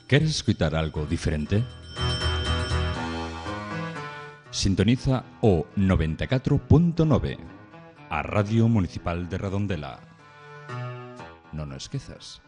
¿Queres escutar algo diferente? Sintoniza o 94.9, a Radio Municipal de Redondela. Non o esquezas.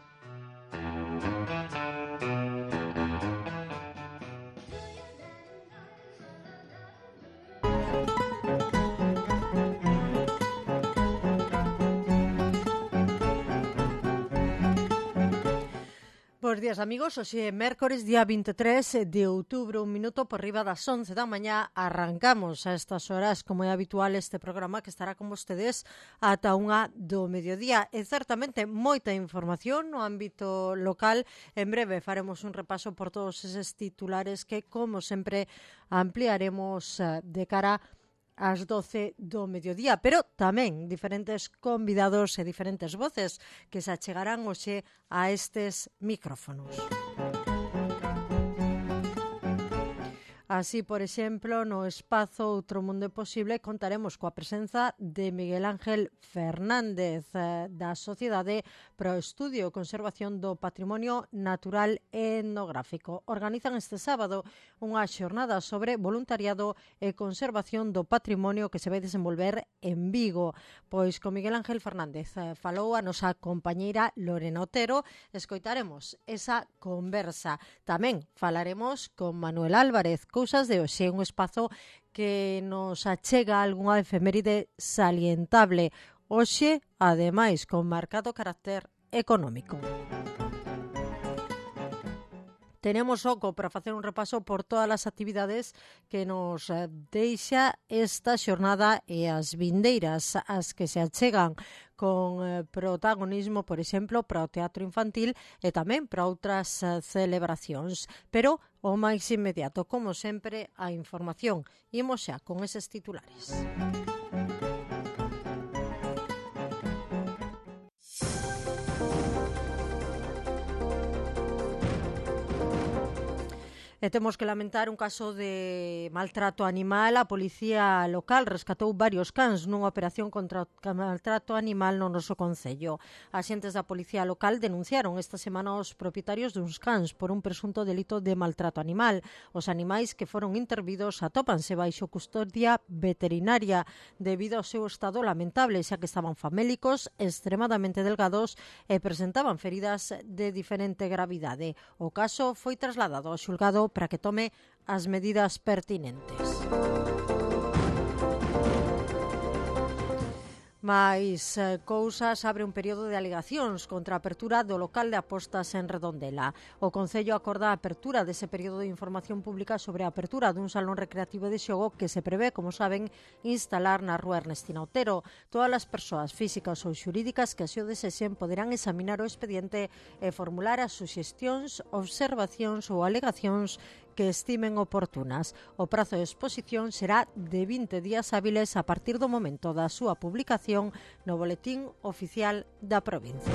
Bos días, amigos. Hoxe é mércores, día 23 de outubro, un minuto por riba das 11 da mañá. Arrancamos a estas horas, como é habitual, este programa que estará con vostedes ata unha do mediodía. E certamente moita información no ámbito local. En breve faremos un repaso por todos eses titulares que, como sempre, ampliaremos de cara ás 12 do mediodía, pero tamén diferentes convidados e diferentes voces que se achegarán hoxe a estes micrófonos. Así, por exemplo, no espazo Outro Mundo é Posible contaremos coa presenza de Miguel Ángel Fernández da Sociedade pro Estudio e Conservación do Patrimonio Natural e Etnográfico. Organizan este sábado unha xornada sobre voluntariado e conservación do patrimonio que se vai desenvolver en Vigo. Pois con Miguel Ángel Fernández falou a nosa compañeira Lorena Otero. Escoitaremos esa conversa. Tamén falaremos con Manuel Álvarez, Cousas de hoxe, un espazo que nos achega algunha efeméride salientable. Hoxe, ademais, con marcado carácter económico. Tenemos oco para facer un repaso por todas as actividades que nos deixa esta xornada e as vindeiras, as que se achegan con protagonismo, por exemplo, para o teatro infantil e tamén para outras celebracións. Pero o máis inmediato, como sempre, a información. Imos xa con eses titulares. E temos que lamentar un caso de maltrato animal. A policía local rescatou varios cans nunha operación contra o maltrato animal no noso concello. Axentes da policía local denunciaron esta semana os propietarios duns cans por un presunto delito de maltrato animal. Os animais que foron intervidos atópanse baixo custodia veterinaria debido ao seu estado lamentable, xa que estaban famélicos, extremadamente delgados e presentaban feridas de diferente gravidade. O caso foi trasladado ao xulgado para que tome as medidas pertinentes. Mais cousas, abre un período de alegacións contra a apertura do local de apostas en Redondela. O Concello acorda a apertura dese período de información pública sobre a apertura dun salón recreativo de xogo que se prevé, como saben, instalar na rúa Ernestina Otero. Todas as persoas físicas ou xurídicas que así o desexen poderán examinar o expediente e formular as suxestións, observacións ou alegacións que estimen oportunas. O prazo de exposición será de 20 días hábiles a partir do momento da súa publicación no Boletín Oficial da Provincia.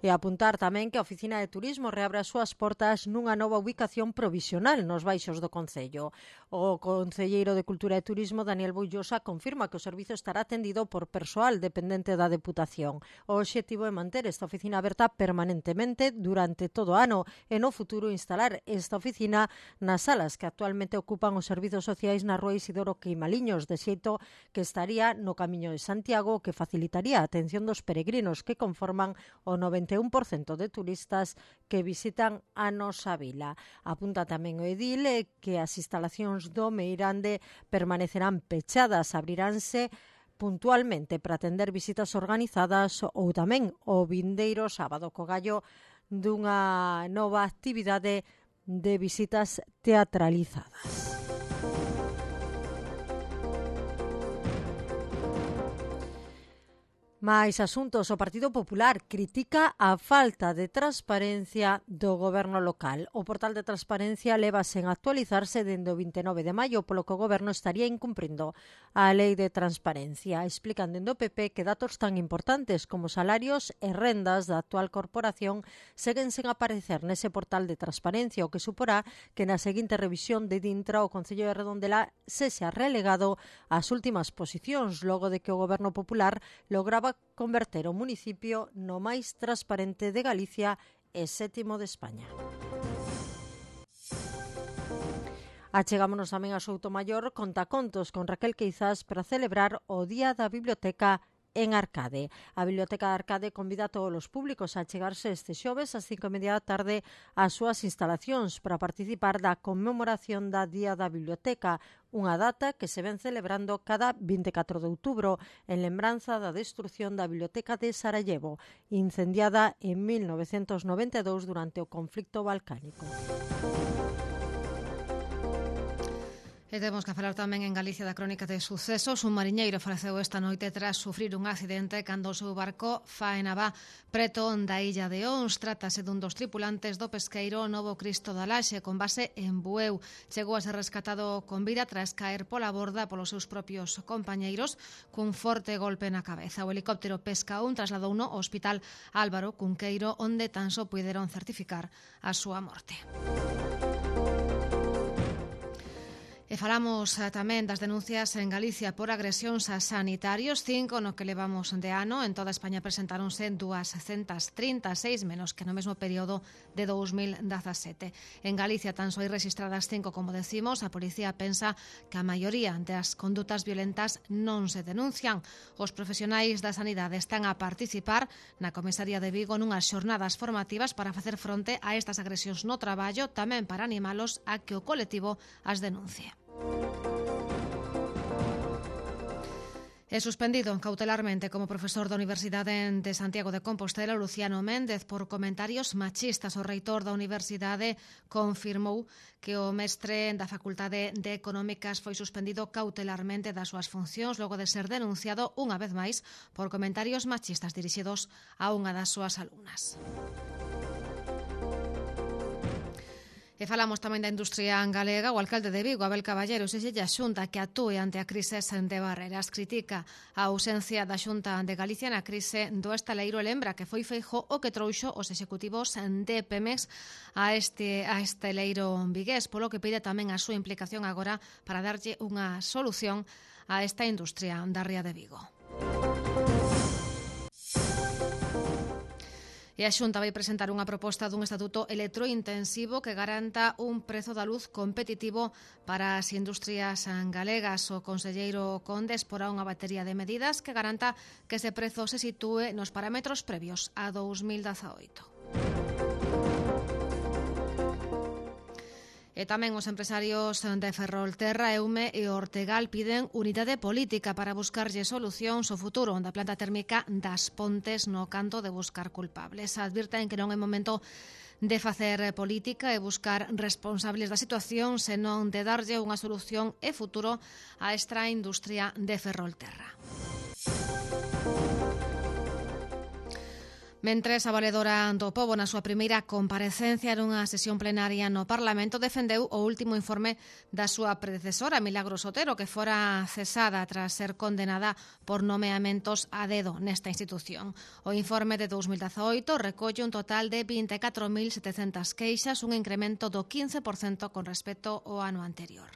E apuntar tamén que a Oficina de Turismo reabre as súas portas nunha nova ubicación provisional nos baixos do Concello. O concelleiro de Cultura e Turismo, Daniel Boullosa, confirma que o servizo estará atendido por persoal dependente da Deputación. O obxectivo é manter esta oficina aberta permanentemente durante todo o ano e no futuro instalar esta oficina nas salas que actualmente ocupan os servizos sociais na rúa Isidoro Queimaliños, de xeito que estaría no Camiño de Santiago, que facilitaría a atención dos peregrinos que conforman o 91% de turistas que visitan a nosa vila. Apunta tamén o edil que as instalacións do Meirande permanecerán pechadas, abriránse puntualmente para atender visitas organizadas ou tamén o vindeiro sábado co gallo dunha nova actividade de visitas teatralizadas. Mais asuntos, o Partido Popular critica a falta de transparencia do goberno local. O portal de transparencia leva sen actualizarse dende o 29 de maio, polo que o goberno estaría incumprindo a lei de transparencia. Explican dende o PP que datos tan importantes como salarios e rendas da actual corporación seguen sen aparecer nese portal de transparencia, o que suporá que na seguinte revisión de Dintra o Concello de Redondela sexa relegado ás últimas posicións, logo de que o goberno popular lograba buscaba converter o municipio no máis transparente de Galicia e 7º de España. Achegámonos tamén a Soutomaior Contacontos con Raquel Queizás para celebrar o Día da Biblioteca en Arcade. A Biblioteca de Arcade convida a todos os públicos a chegarse este xoves ás 5:30 da tarde ás súas instalacións para participar da conmemoración da Día da Biblioteca, unha data que se ven celebrando cada 24 de outubro en lembranza da destrucción da Biblioteca de Sarajevo, incendiada en 1992 durante o conflicto balcánico. E temos que falar tamén en Galicia da crónica de sucesos. Un mariñeiro faleceu esta noite tras sufrir un accidente cando o seu barco faenaba preto da illa de Ons. Trátase dun dos tripulantes do pesqueiro Novo Cristo da Laxe, con base en Bueu. Chegou a ser rescatado con vida tras caer pola borda polos seus propios compañeiros cun forte golpe na cabeza. O helicóptero Pesca 1 trasladouno ao Hospital Álvaro Cunqueiro, onde tan só puideron certificar a súa morte. E falamos tamén das denuncias en Galicia por agresións a sanitarios, 5 no que levamos de ano. En toda España presentáronse 236 menos que no mesmo período de 2017. En Galicia tan só hai registradas 5, como decimos. A policía pensa que a maioría das condutas violentas non se denuncian. Os profesionais da sanidade están a participar na Comisaría de Vigo nunhas xornadas formativas para facer fronte a estas agresións no traballo, tamén para animalos a que o colectivo as denuncie. É suspendido cautelarmente como profesor da Universidade de Santiago de Compostela Luciano Méndez por comentarios machistas. O reitor da Universidade confirmou que o mestre da Facultade de Económicas foi suspendido cautelarmente das súas funcións logo de ser denunciado unha vez máis por comentarios machistas dirixidos a unha das súas alumnas. E falamos tamén da industria galega. O alcalde de Vigo, Abel Caballero, exige a Xunta que actúe ante a crise de Barreras. Critica a ausencia da Xunta de Galicia na crise do estaleiro e lembra que foi Feijóo o que trouxo os executivos de Pemex a estaleiro vigués, polo que pide tamén a súa implicación agora para darlle unha solución a esta industria da ría de Vigo. E a Xunta vai presentar unha proposta dun estatuto electrointensivo que garanta un prezo da luz competitivo para as industrias galegas. O conselleiro Conde exporá unha batería de medidas que garanta que ese prezo se sitúe nos parámetros previos a 2018. E tamén os empresarios de Ferrolterra, Eume e Ortegal piden unidade política para buscarlle solucións ao futuro da planta térmica das Pontes no canto de buscar culpables. Advirten que non é momento de facer política e buscar responsables da situación, senón de darlle unha solución e futuro a esta industria de Ferrolterra. Mentres, a valedora do Pobo na súa primeira comparecencia nunha sesión plenaria no Parlamento defendeu o último informe da súa predecesora, Milagros Otero, que fora cesada tras ser condenada por nomeamentos a dedo nesta institución. O informe de 2018 recolle un total de 24.700 queixas, un incremento do 15% con respecto ao ano anterior.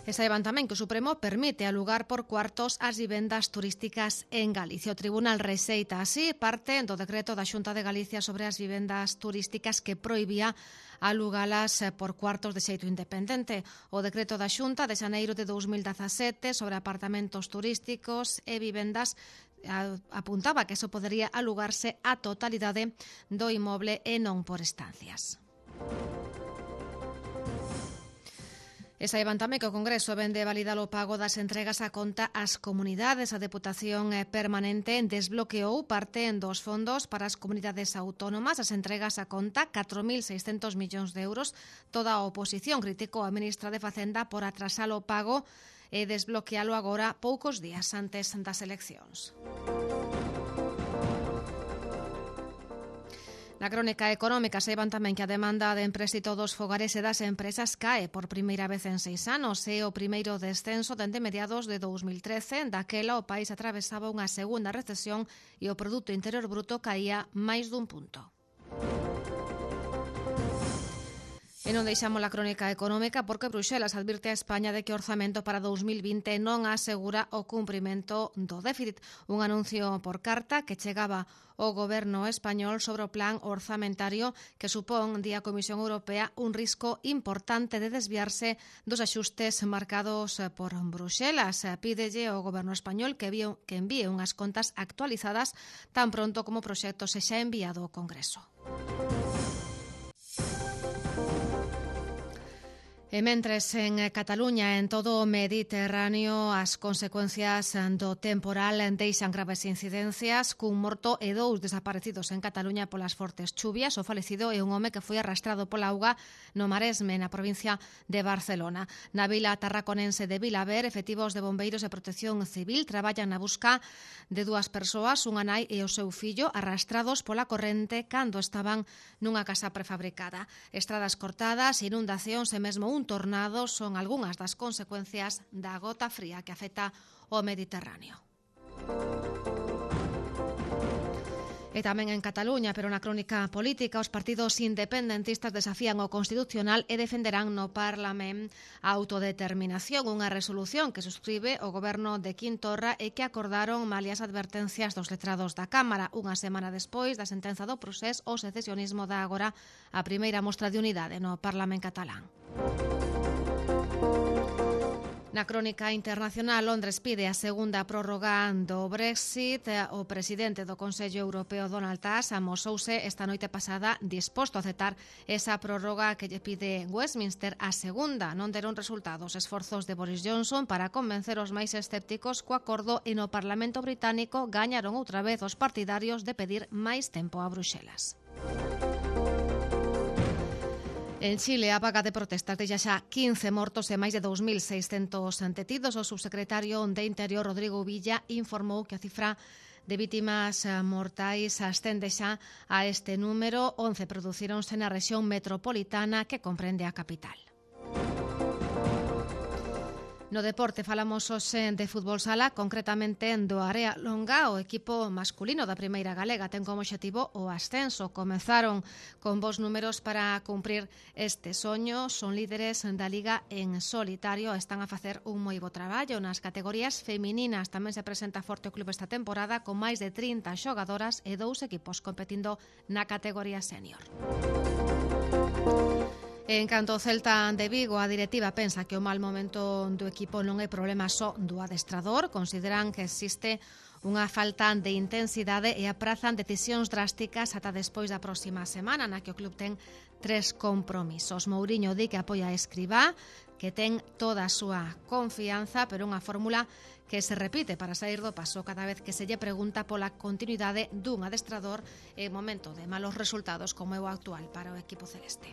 E saiban tamén que o Supremo permite alugar por cuartos as vivendas turísticas en Galicia. O Tribunal rexeita así parte do decreto da Xunta de Galicia sobre as vivendas turísticas que prohibía alugalas por cuartos de xeito independente. O decreto da Xunta de xaneiro de 2017 sobre apartamentos turísticos e vivendas apuntaba que eso podería alugarse a totalidade do inmoble e non por estancias. E saiban tamén que o Congreso vende validar o pago das entregas a conta ás comunidades. A Deputación Permanente desbloqueou parte dos fondos para as comunidades autónomas. As entregas a conta, 4.600 millóns de euros. Toda a oposición criticou a ministra de Facenda por atrasar o pago e desbloquealo agora poucos días antes das eleccións. Na crónica económica saiban tamén que a demanda de empréstito dos fogares e das empresas cae por primeira vez en 6 anos. É o primeiro descenso dende mediados de 2013. Daquela o país atravesaba unha segunda recesión e o Produto Interior Bruto caía máis dun punto. E non deixamos a crónica económica porque Bruxelas advirte a España de que o orzamento para 2020 non asegura o cumprimento do déficit. Un anuncio por carta que chegaba ao goberno español sobre o plan orzamentario que supón, di a Comisión Europea, un risco importante de desviarse dos axustes marcados por Bruxelas. Pídelle ao goberno español que envíe unhas contas actualizadas tan pronto como o proxecto sexa enviado ao Congreso. E mentres en Cataluña e en todo o Mediterráneo as consecuencias do temporal deixan graves incidencias, cun morto e 2 desaparecidos en Cataluña polas fortes chuvias. O falecido é un home que foi arrastrado pola auga no Maresme, na provincia de Barcelona. Na vila tarraconense de Vilaver, efectivos de bombeiros e protección civil traballan na busca de 2 persoas, unha nai e o seu fillo, arrastrados pola corrente cando estaban nunha casa prefabricada. Estradas cortadas, inundacións e mesmo un tornado son algunhas das consecuencias da gota fría que afecta o Mediterráneo. E tamén en Cataluña, pero na crónica política, os partidos independentistas desafían o Constitucional e defenderán no Parlamento a autodeterminación, unha resolución que suscribe o goberno de Quim Torra e que acordaron malia as advertencias dos letrados da Cámara. Unha semana despois da sentenza do procés, o secesionismo dá agora a primeira mostra de unidade no Parlamento catalán. Na crónica internacional, Londres pide a segunda prórroga do Brexit. O presidente do Consello Europeo, Donald Tusk, amosouse esta noite pasada disposto a aceptar esa prórroga que lle pide Westminster. A segunda non deron resultados esforzos de Boris Johnson para convencer os máis escépticos co acordo e no Parlamento británico gañaron outra vez os partidarios de pedir máis tempo a Bruxelas. En Chile, a vaga de protestas deixa xa 15 mortos e máis de 2.600 detidos. O subsecretario de Interior, Rodrigo Villa, informou que a cifra de vítimas mortais ascende xa a este número. 11 producíronse na rexión metropolitana que comprende a capital. No deporte falamos hoxe de fútbol sala, concretamente do Area Longa. O equipo masculino da Primeira Galega ten como obxectivo o ascenso. Comezaron con bons números para cumprir este soño. Son líderes da Liga en solitario. Están a facer un moi bo traballo. Nas categorías femininas tamén se presenta forte o club esta temporada, con máis de 30 xogadoras e 2 equipos competindo na categoría senior. En canto ao Celta de Vigo, a directiva pensa que o mal momento do equipo non é problema só do adestrador. Consideran que existe unha falta de intensidade e aprazan decisións drásticas ata despois da próxima semana, na que o club ten 3 compromisos. Mouriño di que apoia a Escribá, que ten toda a súa confianza, pero unha fórmula que se repite para sair do paso cada vez que se lle pregunta pola continuidade dun adestrador en momento de malos resultados como é o actual para o equipo celeste.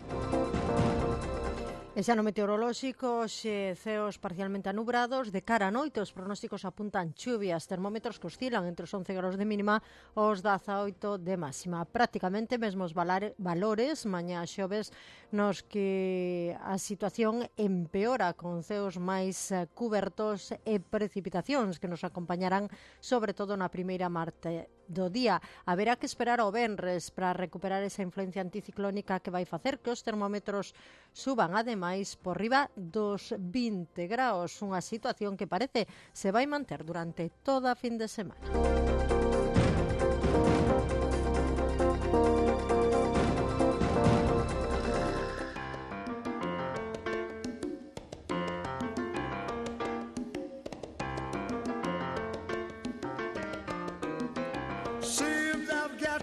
E xa no meteorolóxico, ceos parcialmente anubrados. De cara a noite, os pronósticos apuntan chuvias, termómetros que oscilan entre os 11 graus de mínima aos 18 de máxima. Prácticamente mesmos valores mañá xoves nos que a situación empeora, con ceos máis cubertos e precipitacións que nos acompañarán sobre todo na primeira parte do día. Haberá que esperar ao venres para recuperar esa influencia anticiclónica que vai facer que os termómetros suban ademais por riba dos 20 graus, unha situación que parece se vai manter durante toda a fin de semana.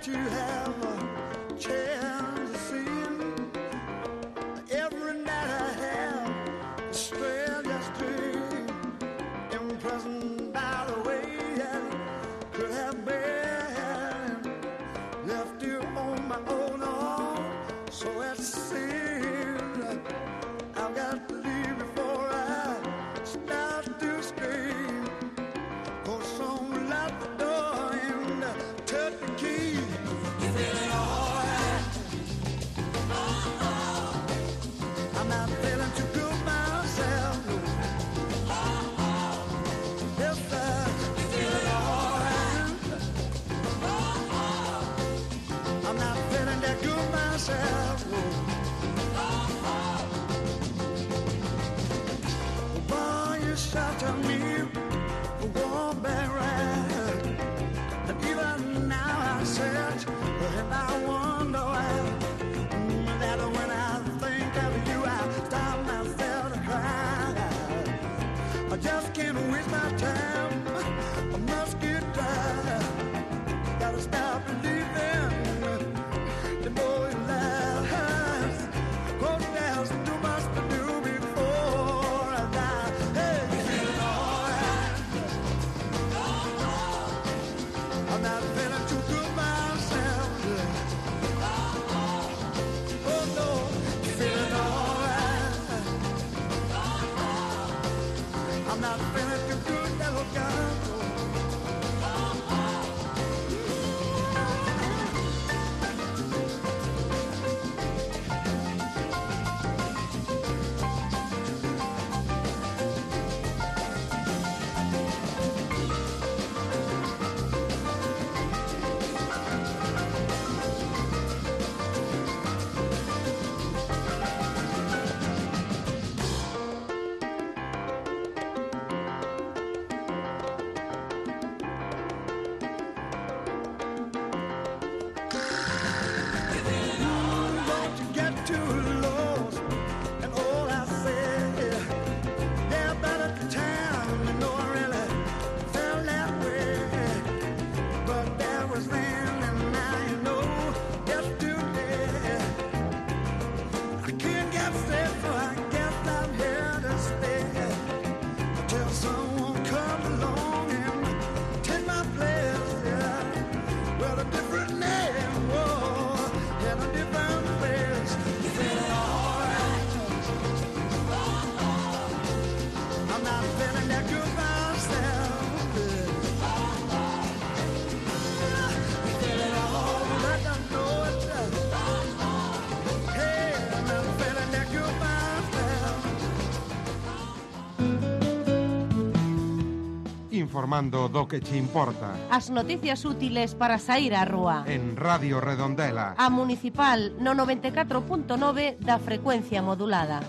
To have a chance to see him every night I have the strangest dream, imprisoned by the way I could have been right. And even now I search and I wonder why. That when I think of you, I stop myself to cry. I just can't waste my time. I must get tired. Gotta stop believing. The more it lasts, oh, there's too much to do before I die. Hey, you feeling alright? I'm not feeling too good myself. Oh no, you feeling alright? I'm not feeling too good, little girl. Don't you get too lost and all I say, yeah, about at the time, you know I really felt that way. But that was then and now you know yesterday. I can't get safe, so I guess I'm here to stay. Until someone comes along and take my place, yeah. Well, a different name, whoa, and a different place. You feeling alright? I'm not feeling that good myself. You feeling alright? I know it. Hey, I'm not feeling that good myself. Informando do que che importa. As noticias útiles para sair á rúa. En Radio Redondela. A Municipal no 94.9 da frecuencia modulada.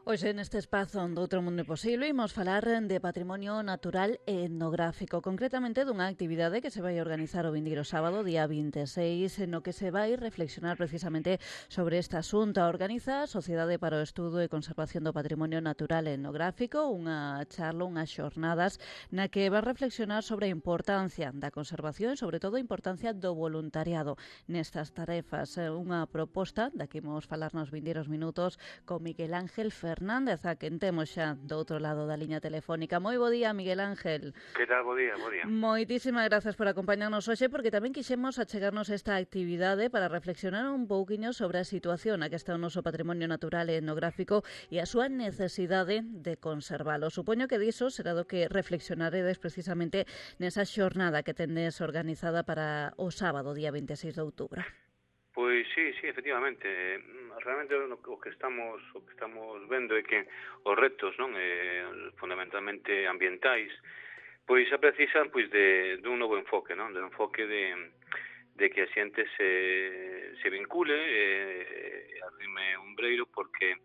Hoxe neste espazo do Outro Mundo Posible imos falar de patrimonio natural e etnográfico, concretamente dunha actividade que se vai organizar o vindeiro sábado, día 26, no que se vai reflexionar precisamente sobre este asunto. Organiza a Sociedade para o Estudo e Conservación do Patrimonio Natural e Etnográfico unha charla, unhas xornadas na que vai reflexionar sobre a importancia da conservación e sobre todo a importancia do voluntariado nestas tarefas. Unha proposta da que imos falar nos vindeiros minutos con Miguel Ángel Fernández, a quen temos xa do outro lado da liña telefónica. Moi bo día, Miguel Ángel. Que tal? Bo día, bo día. Moitísimas grazas por acompañarnos hoxe, porque tamén quixemos achegarnos esta actividade para reflexionar un pouquiño sobre a situación na que está o noso patrimonio natural e etnográfico e a súa necesidade de conservalo. Supoño que diso será do que reflexionaredes precisamente nesa xornada que tendes organizada para o sábado, día 26 de outubro. Pois sí, efectivamente. Realmente o que estamos vendo é que os retos, non, fundamentalmente ambientais, pois se precisan pois dun novo enfoque, non, de un enfoque de que a xente se vincule e arrime un breiro, porque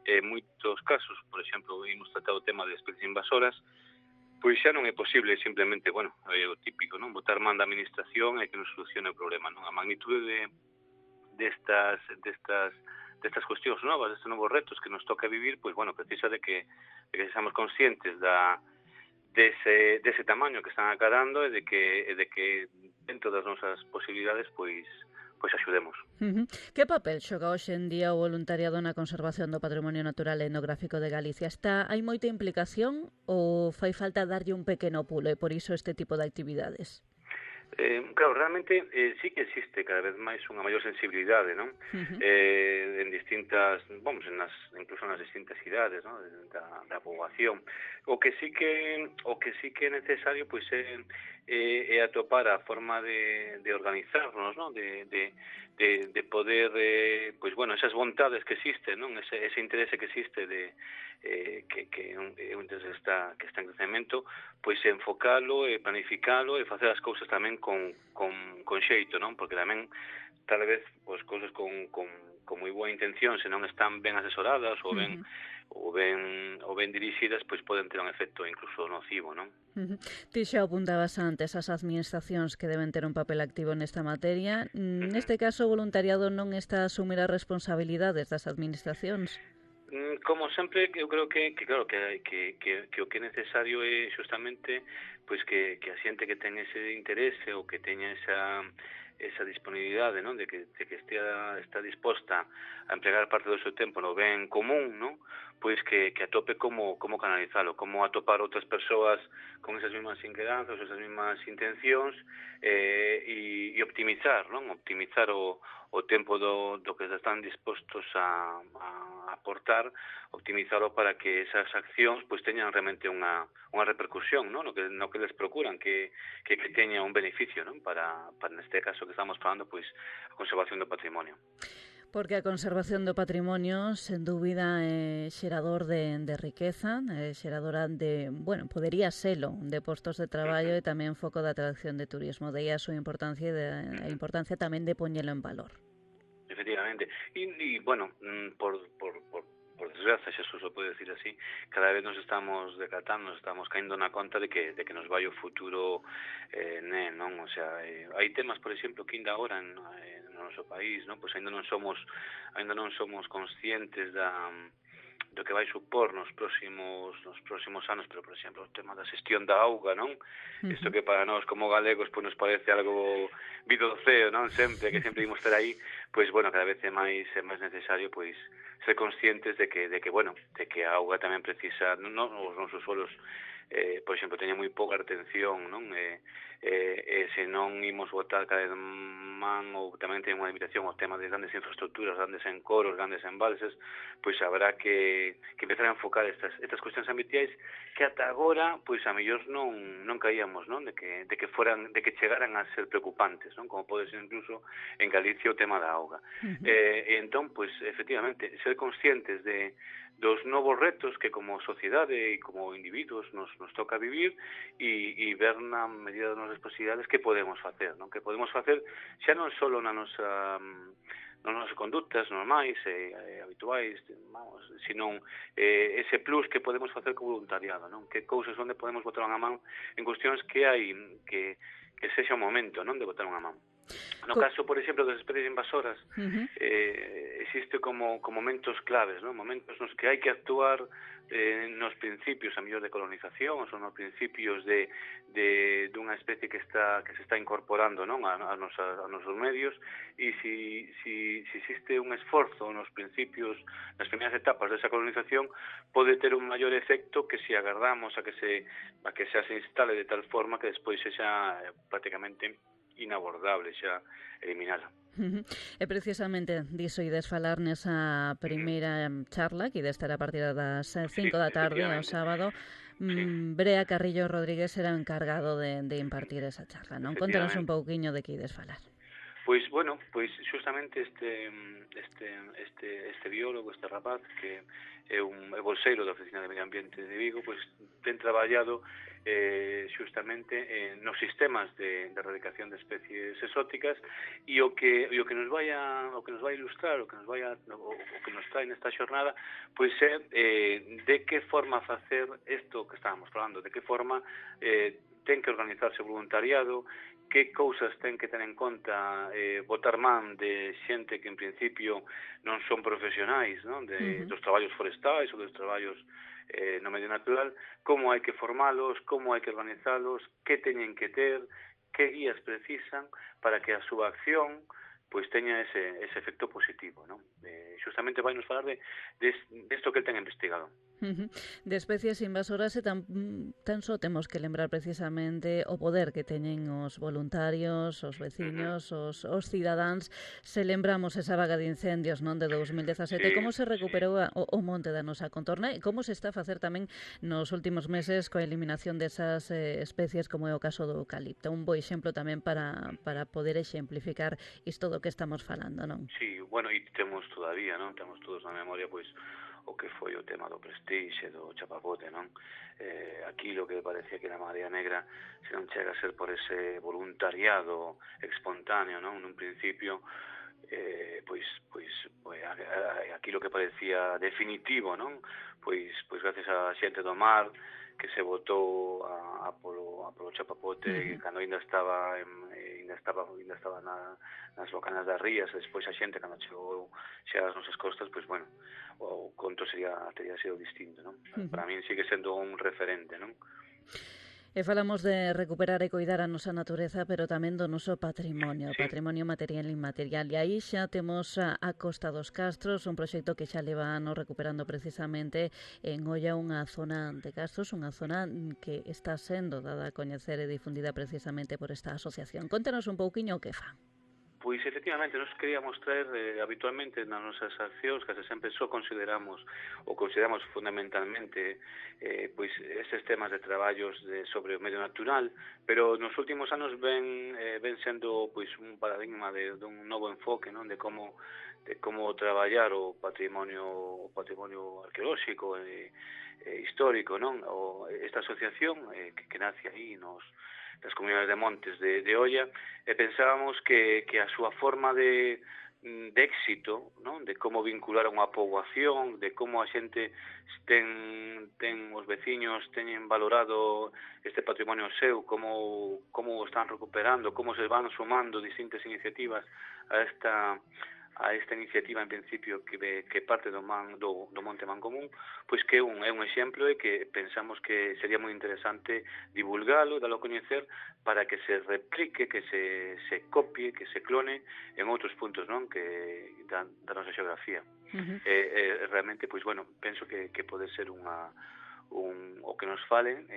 en moitos casos, por exemplo, hemos tratado o tema de especies invasoras, pois xa non é posible simplemente, bueno, é o típico, non, botar man da administración e que non solucione o problema, non. A magnitude destas cuestións novas, destes novos retos que nos toca vivir, pois, bueno, precisa de que seamos conscientes dese tamaño que están acadando e de que dentro das nosas posibilidades, pois axudemos. Que papel xoga hoxe en día o voluntariado na conservación do patrimonio natural e etnográfico de Galicia? Hai moita implicación ou fai falta darlle un pequeno pulo e por iso este tipo de actividades? Claro, realmente sí que existe cada vez máis unha maior sensibilidade, non? En distintas, incluso nas distintas idades, non? Da poboación. O que sí que é necesario pois é atopar a forma de organizarnos, non? De poder, pois bueno, esas vontades que existen, non? Ese interese que existe de que é un interés que está en crecemento, pois enfocalo e planificalo e facer as cousas tamén con xeito, non? Porque tamén tal vez pois cousas con moi boa intención, se non están ben asesoradas ou ben dirixidas, pois poden ter un efecto incluso nocivo, non? Ti xa apuntabas antes as administracións que deben ter un papel activo nesta materia. Neste caso, o voluntariado non está a asumir as responsabilidades das administracións? Como sempre, eu creo que claro, que o que é necesario é justamente pois que a xente que ten ese interese ou que teña esa disponibilidade, non, de que está disposta a empregar parte do seu tempo no ben común, non, pois que atope como canalizalo, como atopar outras persoas con esas mesmas inquedanzas, esas mesmas intencións, e optimizar, non, optimizar o tempo do que están dispostos a aportar, optimizalo para que esas accións pois teñan realmente unha repercusión, non, no que les procuran, que teña un beneficio, non, para neste caso que estamos falando, pois a conservación do patrimonio. Porque a conservación do patrimonio, sen dúbida, é xerador de riqueza, é xeradora de, bueno, podería selo, de postos de traballo e tamén foco de atracción de turismo. De aí a súa importancia e a importancia tamén de poñelo en valor. Efectivamente. E bueno, por desgracia, xa se pode decir así, cada vez nos estamos decatando, nos estamos caindo na conta de que nos vai o futuro, non? O sea, hai temas, por exemplo, que ainda agora no noso país, non? Pois ainda non somos conscientes do que vai supor nos próximos anos, pero, por exemplo, o tema da xestión da auga, non? Isto que para nós como galegos pois nos parece algo vido do ceo, non? Que sempre imos ter aí, pois, bueno, cada vez é máis necesario, pois, ser conscientes de que a auga tamén precisa, non, os nosos solos, por exemplo, teñen moi pouca retención, non? Se non imos botar cada vez man, ou tamén ten unha limitación o tema de grandes infraestructuras, grandes encoros, grandes embalses, pois habrá que empezar a enfocar estas cuestións ambientais que ata agora, pois a mellor non caíamos, non? De que chegaran a ser preocupantes, non? Como pode ser incluso en Galicia o tema da auga. E entón, pois, efectivamente, ser conscientes dos novos retos que como sociedade e como individuos nos toca vivir e ver na medida das nosas posibilidades que podemos facer, non? Que podemos facer xa non só nas nosas conductas normais e habituais, vamos, sino ese plus que podemos facer co voluntariado, non? Que cousas onde podemos botar unha man en cuestións que hai que sexa o momento, non, de botar unha man. No caso, por exemplo, das especies invasoras, existe como momentos claves, non? Momentos nos que hai que actuar nos principios, a mellor, de colonización, ou nos principios dunha especie que se está incorporando, non, a nosos medios, e si existe un esforzo nos principios, nas primeiras etapas desa colonización, pode ter un maior efecto que se agardamos a que se instale de tal forma que despois sexa prácticamente inabordable xa eliminala. E precisamente diso ides falar nesa primeira charla que ide estar a partir das 5 da tarde o sábado. Brea Carrillo Rodríguez será o encargado de impartir esa charla, non? Contanos un pouquiño de que ides falar. Pois, bueno, justamente este biólogo, este rapaz, que é un bolseiro da Oficina de Medio Ambiente de Vigo, pois ten traballado justamente nos sistemas de erradicación de especies exóticas, e o que nos vai a ilustrar, o que nos trae nesta xornada, pois é de que forma facer isto que estábamos falando, de que forma ten que organizarse o voluntariado, que cousas ten que ter en conta botar man de xente que en principio non son profesionais, non? Dos traballos forestais ou dos traballos no medio natural, como hai que formalos, como hai que organizalos, que teñen que ter, que guías precisan para que a súa acción pois teña ese efecto positivo, non? Justamente vai nos falar de isto que ten investigado. De especies invasoras e tan só temos que lembrar precisamente o poder que teñen os voluntarios, os veciños, os cidadáns. Se lembramos esa vaga de incendios, non, de 2017, como se recuperou o monte da nosa contorna e como se está a facer tamén nos últimos meses coa eliminación desas especies, como é o caso do eucalipto. Un bo exemplo tamén para poder exemplificar isto do que estamos falando, non? Sí, bueno, e temos todavía, non? Temos todos na memoria, pois, o que foi o tema do Prestige, do chapapote, non? Aquilo que parecía que era Marea Negra, se non chega a ser por ese voluntariado espontáneo, non? Nun principio, pois aquilo que parecía definitivo, non? Pois gracias á xente do mar que se botou a polo chapapote cando ainda estaba nas bocanas das rías, despois a xente cando chegou xa ás nosas costas, pois bueno, o conto teria sido distinto, non? Para min sigue sendo un referente, non? E falamos de recuperar e coidar a nosa natureza, pero tamén do noso patrimonio, patrimonio material e inmaterial. E aí xa temos a Costa dos Castros, un proxecto que xa leva anos recuperando precisamente en Oia unha zona de Castros, unha zona que está sendo dada a coñecer e difundida precisamente por esta asociación. Contanos un pouquiño o que fan. Pois, efectivamente, nos queríamos traer habitualmente nas nosas accións, que sempre só consideramos fundamentalmente pois estes temas de traballos sobre o medio natural, pero nos últimos anos ven sendo pois un paradigma dun novo enfoque, non, de como traballar o patrimonio arqueolóxico e histórico, non? Esta asociación que nace aí das comunidades de montes de Oia, e pensábamos que a súa forma de éxito, non? De como vincular a unha poboación, de como a xente os veciños teñen valorado este patrimonio seu, como o están recuperando, como se van sumando distintas iniciativas a esta iniciativa en principio que parte do Monte Mancomún, pois que é un exemplo e que pensamos que sería moi interesante divulgalo, dalo a coñecer para que se replique, que se copie, que se clone en outros puntos, non, que da nosa xeografía. Realmente, pois bueno, penso que pode ser o que nos falen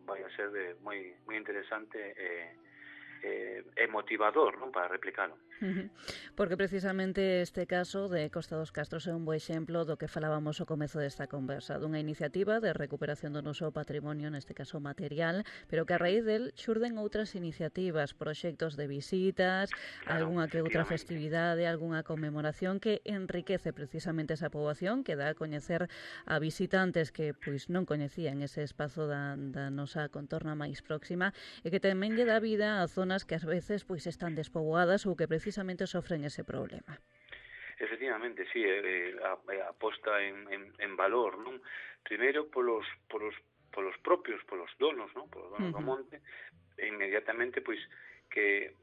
vai a ser moi interesante e motivador, non, para replicalo. Porque precisamente este caso de Costa dos Castros é un bo exemplo do que falábamos ao comezo desta conversa, dunha iniciativa de recuperación do noso patrimonio, neste caso material, pero que a raíz del xurden outras iniciativas, proxectos de visitas, algunha que outra festividade, algunha conmemoración que enriquece precisamente esa poboación, que dá a coñecer a visitantes que pois non coñecían ese espazo da nosa contorna máis próxima e que tamén lle dá vida a zonas que ás veces pois están despoboadas ou que precisamente sofren ese problema. Efectivamente, sí, a posta en valor, non? Primeiro polos propios, polos donos, non? Polos donos do monte, e inmediatamente, pois, que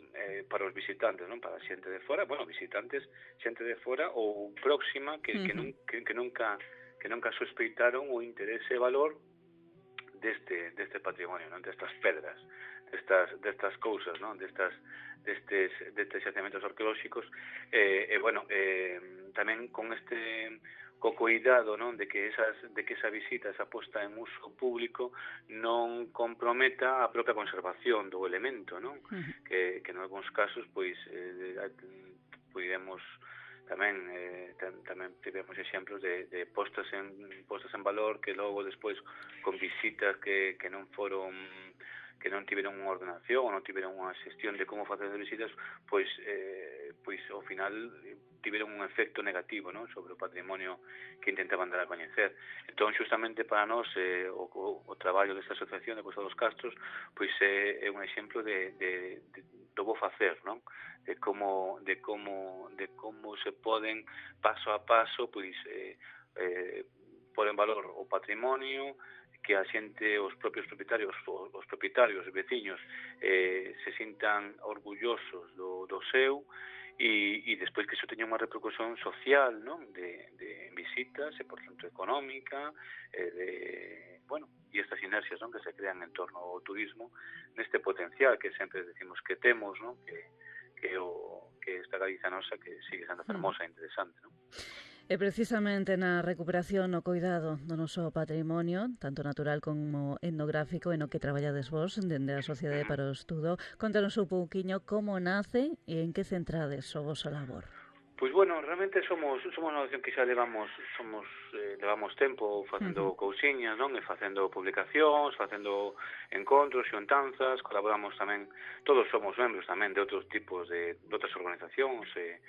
para os visitantes, non? Para a xente de fora, bueno, visitantes, xente de fora ou próxima que nunca sospeitaron o interese e valor deste patrimonio, non? Destas pedras, destas cousas, non? Destes xacementos arqueolóxicos, tamén con co cuidado, non, de que esa visita, esa posta en uso público non comprometa a propia conservación do elemento, non? Que en algúns casos pois podemos tamén tivemos exemplos de postas en valor que logo despois con visitas que non tiveron unha ordenación ou non tiveron unha xestión de como facer as visitas, pois ao final tiveron un efecto negativo, non, sobre o patrimonio que intentaban dar a coñecer. Entón, justamente para nós o traballo desta asociación de Costa dos Castros pois é un exemplo do bo facer, non? De como se poden paso a paso pois pôr en valor o patrimonio, que a xente, os propios propietarios, os veciños se sintan orgullosos do seu e despois que iso teña unha repercusión social, non? De visitas e, por tanto, económica, e estas inercias, non? Que se crean en torno ao turismo neste potencial que sempre decimos que temos, non? Que esta Galiza nosa que sigue sendo fermosa e interesante, non? E precisamente na recuperación o cuidado do noso patrimonio, tanto natural como etnográfico, en o que traballades vos dende a Sociedade para o Estudo, contanos un pouquiño como nace e en que centrades o voso labor. Pois bueno, realmente somos unha organización que xa levamos tempo facendo cousiñas, non? E facendo publicacións, facendo encontros, xuntanzas, colaboramos tamén, todos somos membros tamén de outros tipos de outras organizacións, e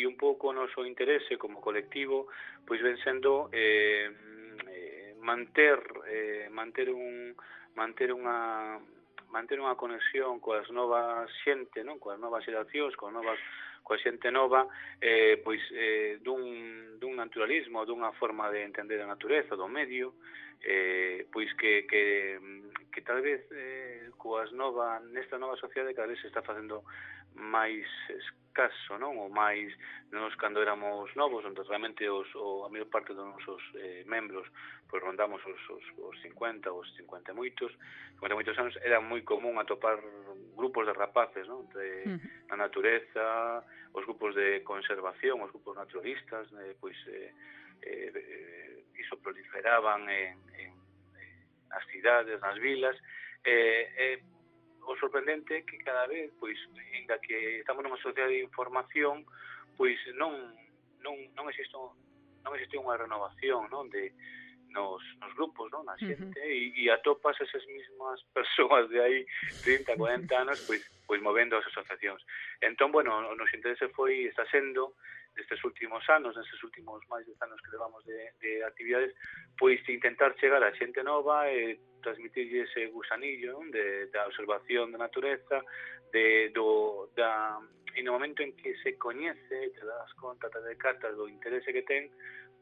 un pouco o noso interese como colectivo pois ven sendo manter unha conexión coas novas xente, non? Coas novas xeracións, coa xente nova, dun naturalismo, dunha forma de entender a natureza, do medio, pois que tal vez nesta nova sociedade cada vez se está facendo máis escaso, non? Ou máis nos cando éramos novos, onde realmente a maior parte dos nosos membros pois rondamos os 50, os 50 moitos anos, era moi común atopar grupos de rapaces, non? Na natureza, os grupos de conservación, os grupos naturalistas, iso proliferaban nas cidades, nas vilas, o sorprendente é que cada vez, pois, ainda que estamos nunha sociedade de información, pois non existe unha renovación, non, nos grupos, non, na xente, e atopas esas mesmas persoas de aí 30, 40 anos, pois movendo as asociacións. Entón, bueno, o noso interese está sendo, nestes últimos anos, nestes últimos máis de anos que levamos de actividades, pois intentar chegar a xente nova e transmitirlle ese gusanillo, non, da observación da natureza, e no momento en que se coñece, te das conta, te decatas do interese que ten,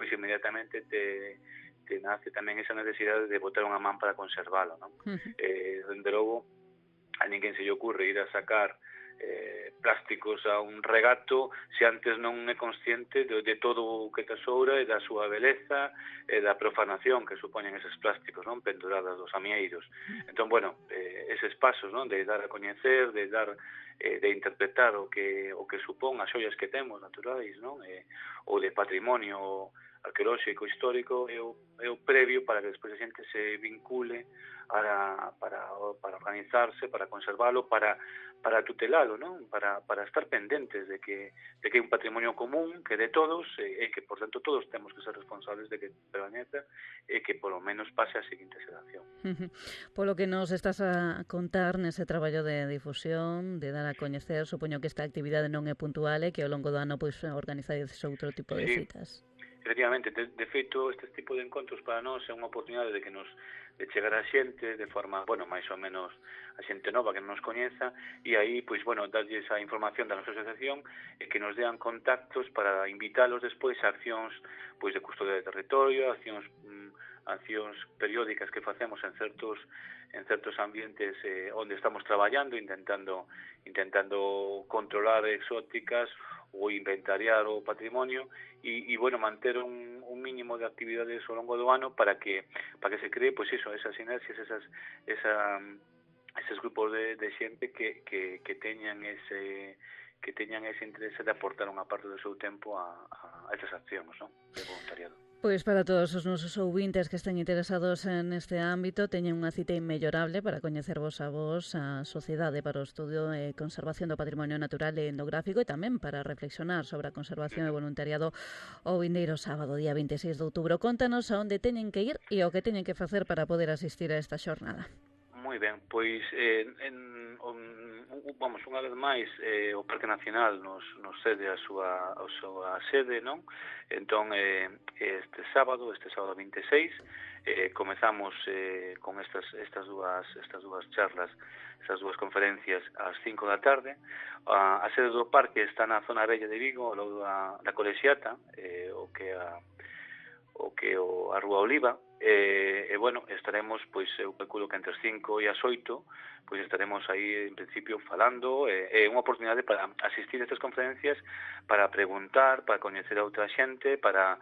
pois inmediatamente te nace tamén esa necesidade de botar unha man para conservalo, non? Dende logo, a ninguén se lle ocurre ir a sacar plásticos a un regato se antes non é consciente de todo o que tesoura e da súa beleza e da profanación que supoñen eses plásticos, non, pendurados dos amieiros. Entón, bueno, eses pasos, non, de dar a coñecer, de interpretar o que supón as xoias que temos naturais, non, ou de patrimonio arqueolóxico, histórico, é o previo para que despois a xente se vincule para organizarse, para conservalo, para tutelalo, non? Para estar pendentes de que é un patrimonio común, que de todos, e que, por tanto, todos temos que ser responsables de que permaneza e que, polo menos, pase a seguinte xeración. Polo que nos estás a contar nese traballo de difusión, de dar a coñecer, supoño que esta actividade non é puntual e que ao longo do ano pois organizades outro tipo de citas. Efectivamente, de feito, este tipo de encontros para nós é unha oportunidade de chegar a xente de forma, bueno, máis ou menos a xente nova que non nos coñeza, e aí, pois, bueno, darlles a información da nosa asociación e que nos dean contactos para invitarlos despois a accións, pois, de custodia de territorio, accións periódicas que facemos en certos ambientes onde estamos traballando, intentando controlar exóticas ou inventariar o patrimonio e bueno, manter un mínimo de actividades ao longo do ano para que se cree, pois iso, esas sinerxias, eses grupos de xente que teñan ese interese de aportar unha parte do seu tempo a estas accións, non, de voluntariado. Pois para todos os nosos ouvintes que estén interesados neste ámbito, teñen unha cita inmellorable para coñecervos a vos, a Sociedade para o Estudio e Conservación do Patrimonio Natural e Etnográfico, e tamén para reflexionar sobre a conservación e voluntariado o vindeiro sábado, día 26 de outubro. Contanos a onde teñen que ir e o que teñen que facer para poder asistir a esta xornada. Moi ben, pois vamos, unha vez máis o Parque Nacional nos cede a súa sede, non? Entón, este sábado 26, comezamos con estas dúas charlas, estas dúas conferencias ás 5 da tarde. A sede do parque está na zona vella de Vigo, ao lado da Colexiata, o que é a Rúa Oliva, e bueno, estaremos, pois, eu calculo que entre as 5 e as 8, pois estaremos aí, en principio, falando, é unha oportunidade para asistir a estas conferencias, para preguntar, para coñecer a outra xente, para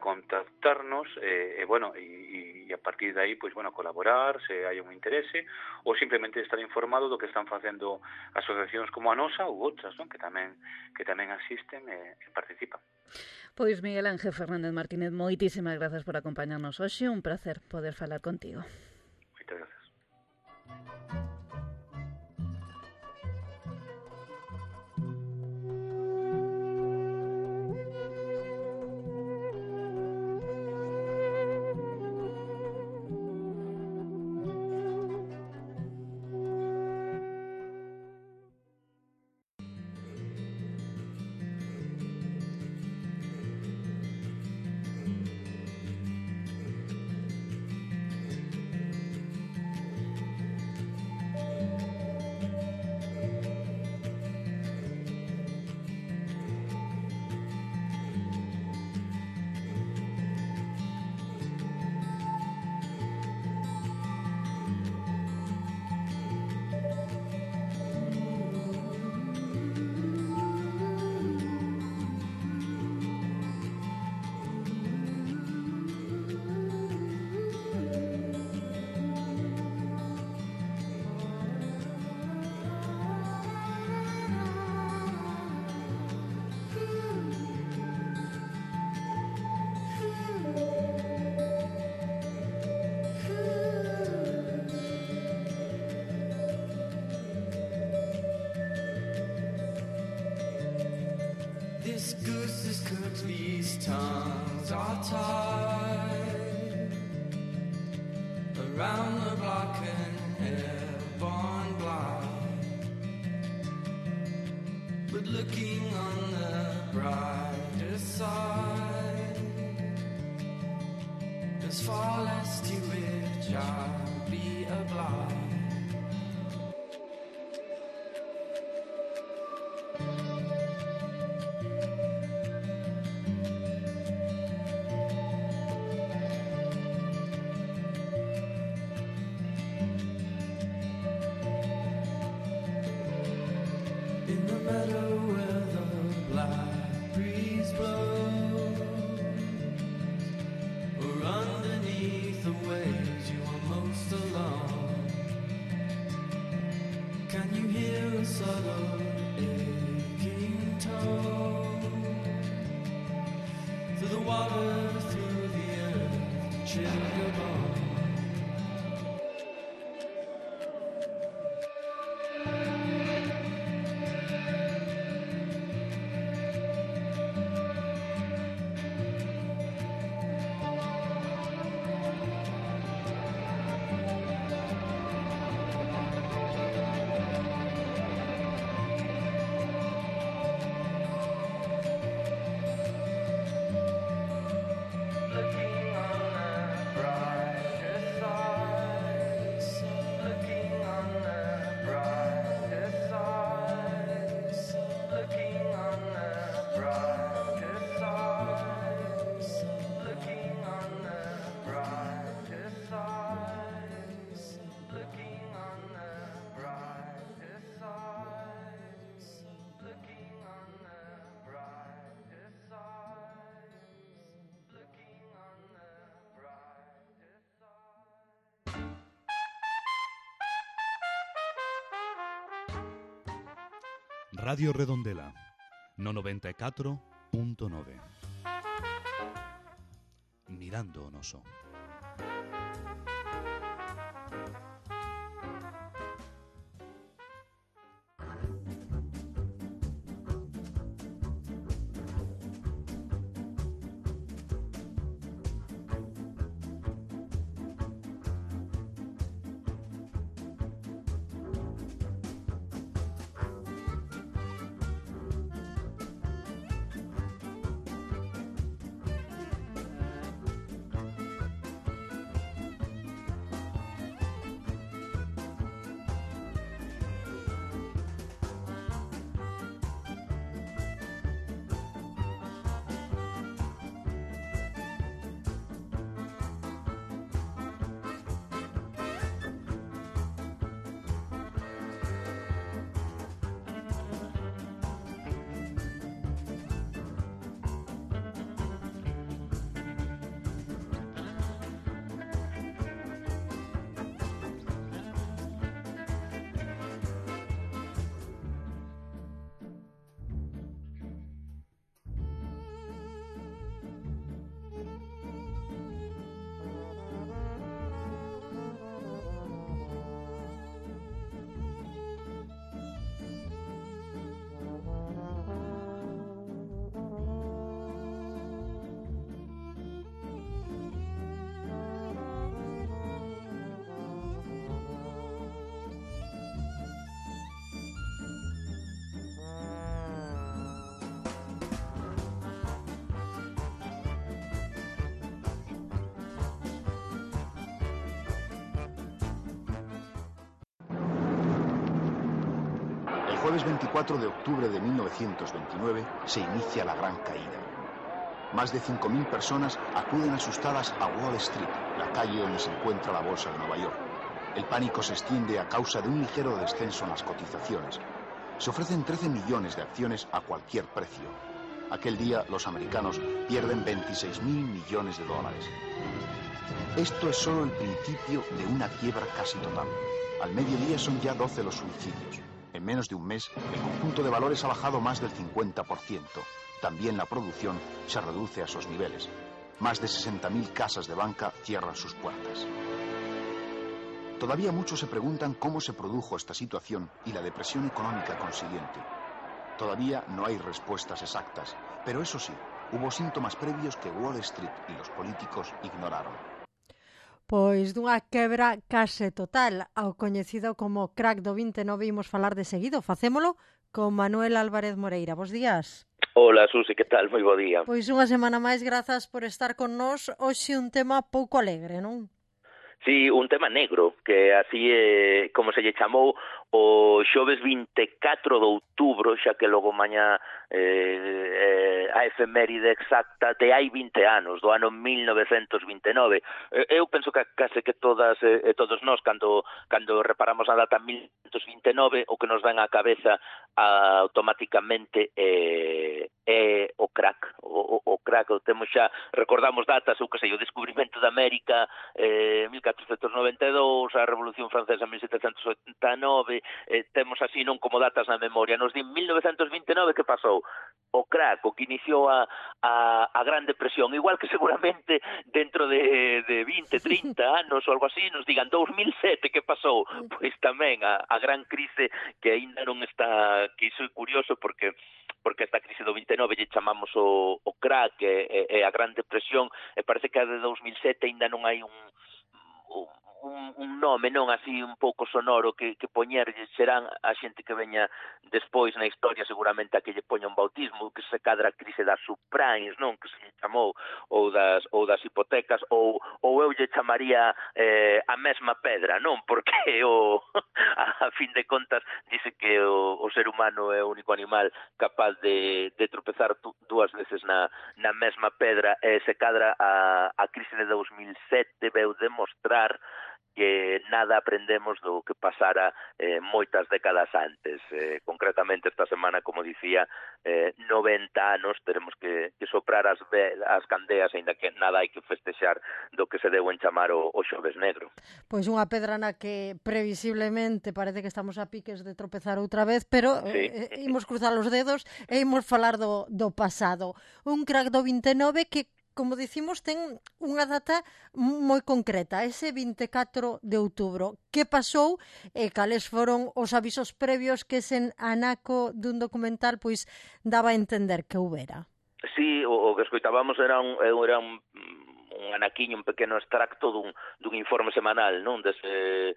contactarnos, e bueno, e a partir de aí, pois, bueno, colaborar, se hai un interese, ou simplemente estar informado do que están facendo asociacións como a nosa ou outras, non? que tamén asisten e participan. Pois Miguel Ángel Fernández Martínez, moitísimas grazas por acompañarnos hoxe, un placer poder falar contigo. Moitas grazas. these tongues are tied around the block and airborne blind. But looking on the brighter side, there's far less to which I'll be obliged. Radio Redondela, no 94.9. Mirando o noso. El jueves 24 de octubre de 1929 se inicia la Gran Caída. Más de 5.000 personas acuden asustadas a Wall Street, la calle donde se encuentra la bolsa de Nueva York. El pánico se extiende a causa de un ligero descenso en las cotizaciones. Se ofrecen 13 millones de acciones a cualquier precio. Aquel día los americanos pierden 26.000 millones de dólares. Esto es solo el principio de una quiebra casi total. Al mediodía son ya 12 los suicidios. En menos de un mes, el conjunto de valores ha bajado más del 50%. También la producción se reduce a esos niveles. Más de 60.000 casas de banca cierran sus puertas. Todavía muchos se preguntan cómo se produjo esta situación y la depresión económica consiguiente. Todavía no hay respuestas exactas, pero eso sí, Hubo síntomas previos que Wall Street y los políticos ignoraron. Pois dunha quebra case total ao coñecido como crack do 29 imos falar de seguido. Facémolo con Manuel Álvarez Moreira. Bos días. Hola, Susi, que tal? Moi bo día. Pois unha semana máis, grazas por estar con nós. Hoxe un tema pouco alegre, non? Sí, un tema negro, que así é como se lle chamou o xoves 24 de outubro, xa que logo mañá a efeméride exacta de hai 20 anos, do ano 1929. Eu penso que case que todas e todos nós, cando reparamos a data 1929, o que nos ven á cabeza automáticamente é o crack. O crack, temos xa, recordamos datas, o que sei, o descubrimento de América, 1492, a Revolución Francesa 1789, temos así non como datas na memoria. Nos din 1929, que pasou? O crack, o que iniciou a Gran Depresión, igual que seguramente dentro de 20, 30 anos ou algo así nos digan 2007, que pasou? Pois tamén a gran crise que aínda non está, que iso é curioso porque esta crise do 29 lle chamamos o crack e a Gran Depresión, e parece que a de 2007 aínda non hai un nome, non así un pouco sonoro que poñerlle. Serán a xente que veña despois na historia seguramente a que lle poña un bautismo, que se cadra a crise das subprimes, non, que se lle chamou, ou das hipotecas, ou eu lle chamaría a mesma pedra, non, porque a fin de contas dice que o ser humano é o único animal capaz de tropezar dúas veces na mesma pedra, e se cadra a crise de 2007 veu demostrar que nada aprendemos do que pasara moitas décadas antes. Concretamente esta semana, como dicía, 90 anos, teremos que soprar as candeas, aínda que nada hai que festexar do que se deu en chamar o xoves negro. Pois unha pedra na que previsiblemente parece que estamos a piques de tropezar outra vez, pero sí, imos cruzar os dedos e imos falar do pasado. Un crack do 29 que, como dicimos, ten unha data moi concreta, ese 24 de outubro. Que pasou e cales foron os avisos previos que ese anaco dun documental pois daba a entender que houbera? Sí, o que escoitábamos era un anaquiño, un pequeno extracto dun informe semanal, non, dese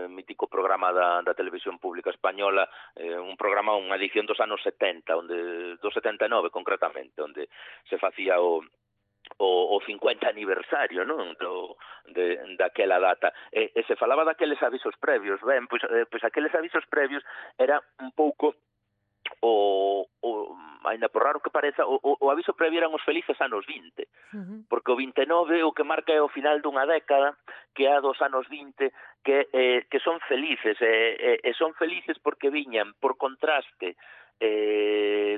mítico programa da televisión pública española, un programa, unha edición dos anos 70, do 79 concretamente, onde se facía o 50 aniversario, non, daquela data, e se falaba daqueles avisos previos. Ben, pois aqueles avisos previos era un pouco ainda por raro que pareza, o aviso previo eran os felices anos 20, porque o 29 o que marca é o final dunha década, que é a dos anos 20, que son felices, e son felices porque viñan, por contraste,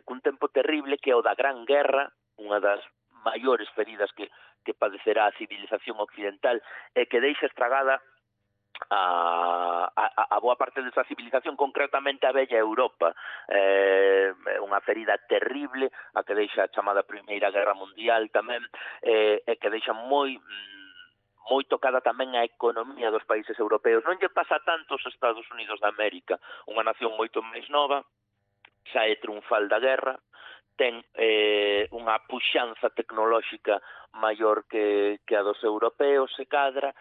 cun tempo terrible que é o da Gran Guerra, unha das maiores feridas que padecerá a civilización occidental, e que deixa estragada a boa parte desa civilización, concretamente a bella Europa. Unha ferida terrible, a que deixa a chamada Primeira Guerra Mundial tamén, e que deixa moi tocada tamén a economía dos países europeos. Non lle pasa tanto aos Estados Unidos de América, unha nación moito máis nova, sae triunfal da guerra, ten unha puxanza tecnolóxica maior que a dos europeos, se cadra,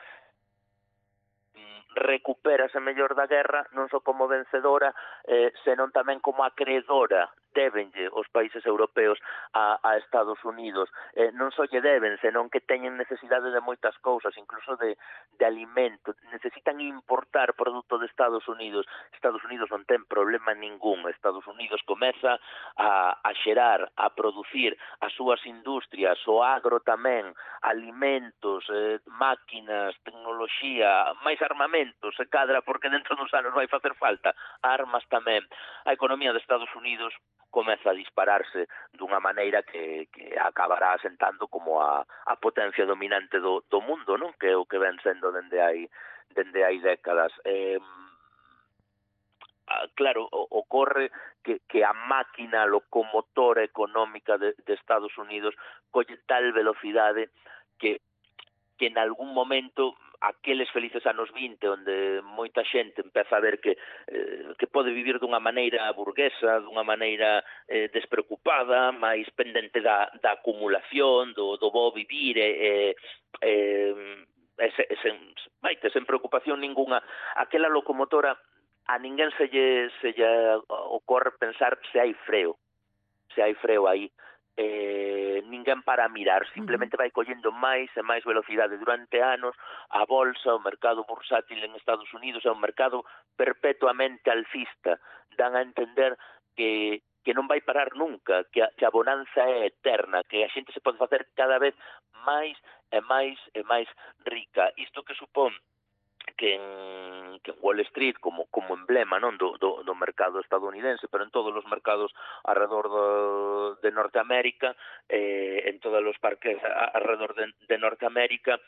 recupérase mellor da guerra, non só como vencedora, senón tamén como acreedora. Débenlle os países europeos a Estados Unidos. Non só lle deben, senón que teñen necesidade de moitas cousas, incluso de alimento. Necesitan importar produto de Estados Unidos. Estados Unidos non ten problema ningún. Estados Unidos comeza a xerar, a producir as súas industrias, o agro tamén, alimentos, máquinas, tecnoloxía, máis armamentos, se cadra, porque dentro dos anos vai facer falta armas tamén. A economía de Estados Unidos comeza a dispararse dunha maneira que acabará asentando como a potencia dominante do mundo, non? Que é o que ven sendo dende hai décadas. Claro, ocorre que a máquina locomotora económica de Estados Unidos colle tal velocidade que en algún momento aqueles felices anos 20 onde moita xente empeza a ver que pode vivir dunha maneira burguesa, dunha maneira despreocupada, máis pendente da acumulación, do bo vivir sen preocupación ninguna. Aquela locomotora a ninguén se lle ocorre pensar se hai freo aí. Ninguén para a mirar, simplemente vai collendo máis e máis velocidade durante anos. A bolsa, o mercado bursátil en Estados Unidos é un mercado perpetuamente alcista. Dan a entender que non vai parar nunca, que a bonanza é eterna, que a xente se pode facer cada vez máis e máis e máis rica. Isto que supón que en Wall Street como emblema, non, do mercado estadounidense, pero en todos os mercados alrededor de Norteamérica, en todos os parques alrededor de Norteamérica,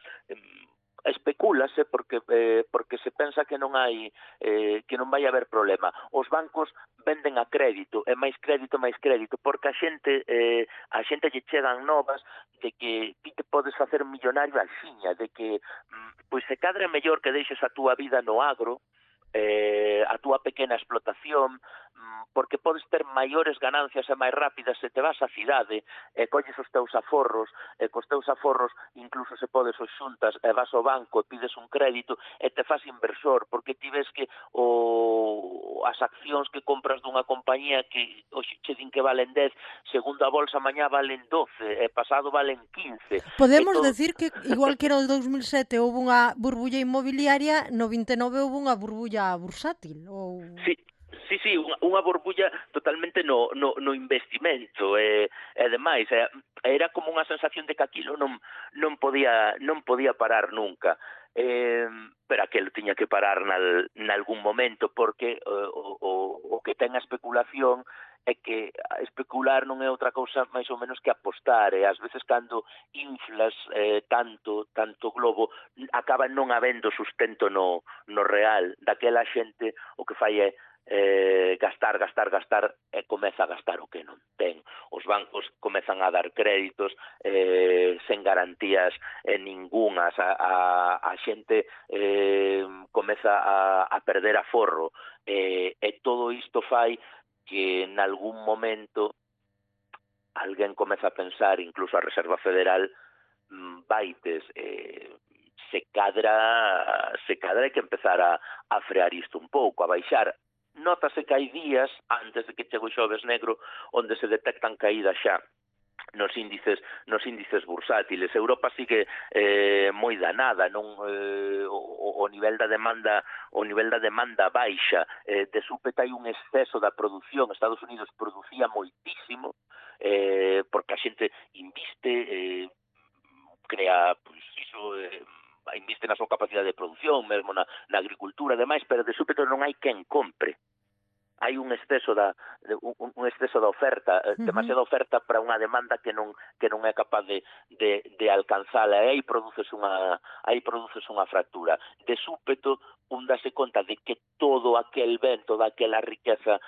especúlase porque se pensa que non hai que non vai haber problema. Os bancos venden a crédito, e máis crédito, porque a xente lle chegan novas de que ti te podes facer millonario axiña, de que pois se cadra mellor que deixes a túa vida no agro, a túa pequena explotación, porque podes ter maiores ganancias e máis rápidas se te vas á cidade e colles os teus aforros, e cos teus aforros incluso se podes os xuntas e vas ao banco e pides un crédito e te fas inversor, porque ti ves que as accións que compras dunha compañía que hoxe che din que valen 10, segundo a bolsa mañá valen 12 e pasado valen 15. Podemos decir que igual que era o 2007 houve unha burbulla inmobiliaria, no 29 houve unha burbulla bursátil ou... Sí, unha burbulla totalmente no investimento e demais, era como unha sensación de que aquilo non podía parar nunca, pero aquilo tiña que parar nalgún momento, porque o que ten a especulación é que especular non é outra cousa máis ou menos que apostar, e ás veces cando inflas tanto globo acaba non habendo sustento no real. Daquela xente o que fai é gastar e comeza a gastar o que non ten. Os bancos comezan a dar créditos sen garantías ningunhas, a xente comeza a perder aforro, e todo isto fai que en algún momento alguén comeza a pensar, incluso a Reserva Federal, vaites, se cadra hai que empezar a frear isto un pouco, a baixar. Nótase que hai días antes de que chegue o xoves negro onde se detectan caídas xa nos índices bursátiles. Europa sigue moi danada, non o nivel da demanda baixa, de súpeto hai un exceso da produción. Estados Unidos producía moitísimo porque a xente inviste, crea, pois iso, inviste na súa capacidade de produción, mesmo na agricultura e demais, pero de súpeto non hai quen compre. Hai un exceso da oferta, demasiada oferta para unha demanda que non é capaz de alcanzala, e aí produces unha fractura. De súpeto, un dase conta de que todo aquel ben, toda aquela riqueza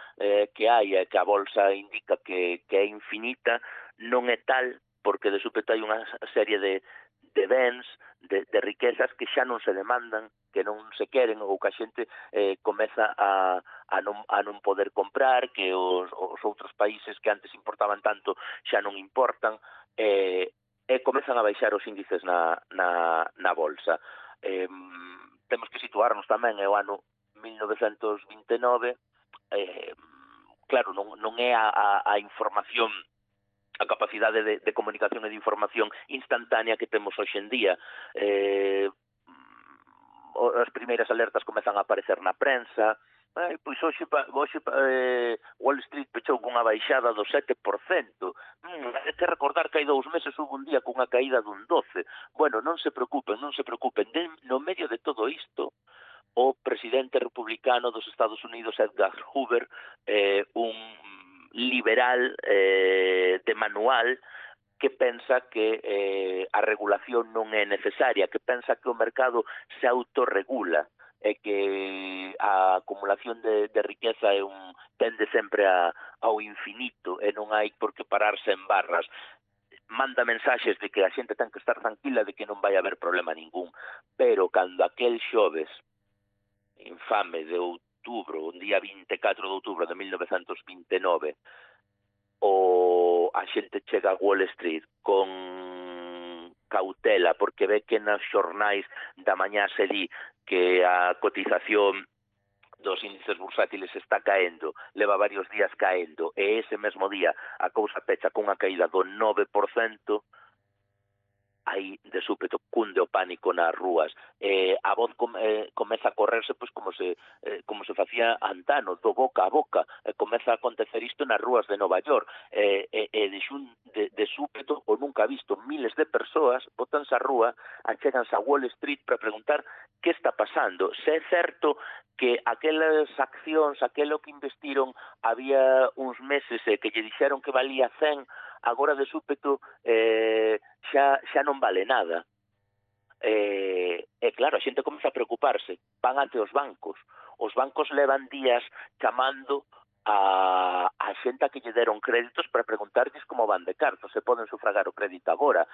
que hai, que a bolsa indica que é infinita, non é tal, porque de súpeto hai unha serie de bens, de riquezas que xa non se demandan, que non se queren, ou que a xente comeza a non poder comprar, que os outros países que antes importaban tanto xa non importan, e comezan a baixar os índices na bolsa. Temos que situarnos tamén, é o ano 1929, claro, non é a información, a capacidade de comunicación e de información instantánea que temos hoxe en día. As primeiras alertas comezan a aparecer na prensa. Pois hoxe Wall Street pechou cunha baixada do 7%. Hai que recordar que hai 2 meses houve un día cunha caída dun 12%. Bueno, non se preocupen. No medio de todo isto, o presidente republicano dos Estados Unidos, Edgar Hoover, un liberal de manual, que pensa que a regulación non é necesaria, que pensa que o mercado se autorregula, e que a acumulación de riqueza tende sempre ao infinito, e non hai por que pararse en barras. manda mensaxes de que a xente ten que estar tranquila, de que non vai haber problema ningún, pero cando aquel xoves infame de outubro, un día 24 de outubro de 1929, a xente chega a Wall Street con cautela, porque ve que nos xornais da mañá se di que a cotización dos índices bursátiles está caendo, leva varios días caendo, e ese mesmo día a cousa pecha cunha caída do 9%, aí de súpeto cunde o pánico nas rúas. A voz comeza a correrse pois como se facía antano, do boca a boca. Comeza a acontecer isto nas rúas de Nova York. De súpeto, o nunca visto, miles de persoas botanse á rúa, achéganse a Wall Street para preguntar que está pasando. Se é certo que aquelas accións, aquelo que investiron había uns meses que lle dixeron que valía 100, agora de súpeto xa non vale nada. E claro, a xente comeza a preocuparse, van ante os bancos levan días chamando a xente a que lle deron créditos para preguntarlles como van de cartos, se poden sufragar o crédito agora.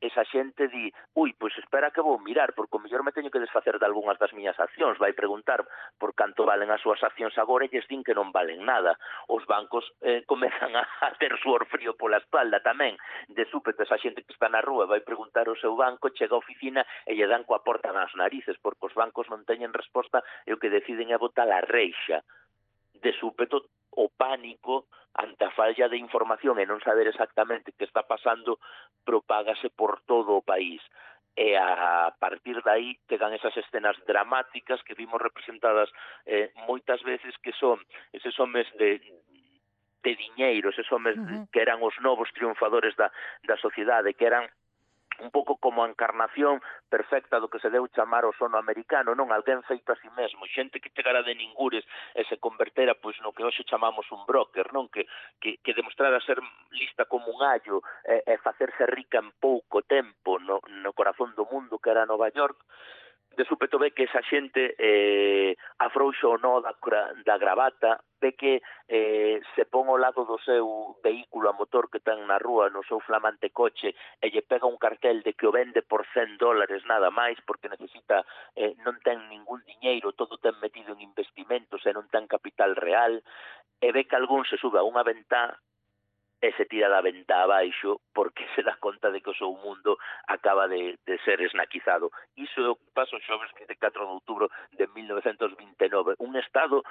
Esa xente di, pois espera que vou mirar, porque o mellor me teño que desfacer de algunhas das miñas accións, vai preguntar por canto valen as súas accións agora e lles din que non valen nada. Os bancos comezan a ter suor frío pola espalda tamén. De súpeto, esa xente que está na rúa vai preguntar ao seu banco, chega á oficina e lle dan coa porta nas narices, porque os bancos non teñen resposta e o que deciden é botar a reixa. De súpeto, o pánico ante a falla de información e non saber exactamente que está pasando propágase por todo o país. E a partir de aí chegan esas escenas dramáticas que vimos representadas moitas veces, que son eses homes de diñeiro, eses homes que eran os novos triunfadores da sociedade, que eran un pouco como a encarnación perfecta do que se deu chamar o sono americano, non? Alguén feito a si mesmo, xente que chegara de ningures e se convertera pois no que hoxe chamamos un broker, non? Que demostrara ser lista como un allo e facerse rica en pouco tempo no corazón do mundo que era Nova York. De súpeto ve que esa xente afrouxa o nó da gravata, ve que se pon ao lado do seu vehículo a motor que ten na rúa, no seu flamante coche, e lle pega un cartel de que o vende por $100 nada máis, porque necesita, non ten ningún diñeiro, todo ten metido en investimentos e non ten capital real, e ve que algún se sube a unha ventá e se tira da ventá abaixo porque se dá conta de que o seu mundo acaba de ser esnaquizado. Iso é o que pasa o xoves 24 de outubro de 1929. Un estado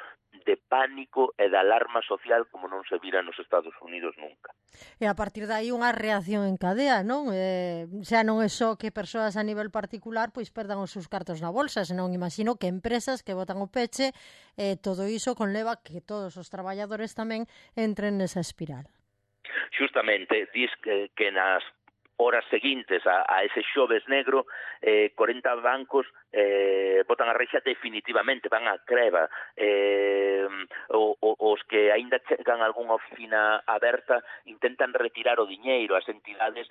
de pánico e de alarma social como non se vira nos Estados Unidos nunca. E a partir de aí unha reacción en cadea, non? Xa non é só que persoas a nivel particular pois perdan os seus cartos na bolsa, senón imagino que empresas que botan o peche, todo iso conleva que todos os traballadores tamén entren nesa espiral. Justamente, dis que nas horas seguintes a ese xoves negro, 40 bancos botan a reixa definitivamente, van a creva. Os que aínda chegan a algunha oficina aberta intentan retirar o diñeiro, as entidades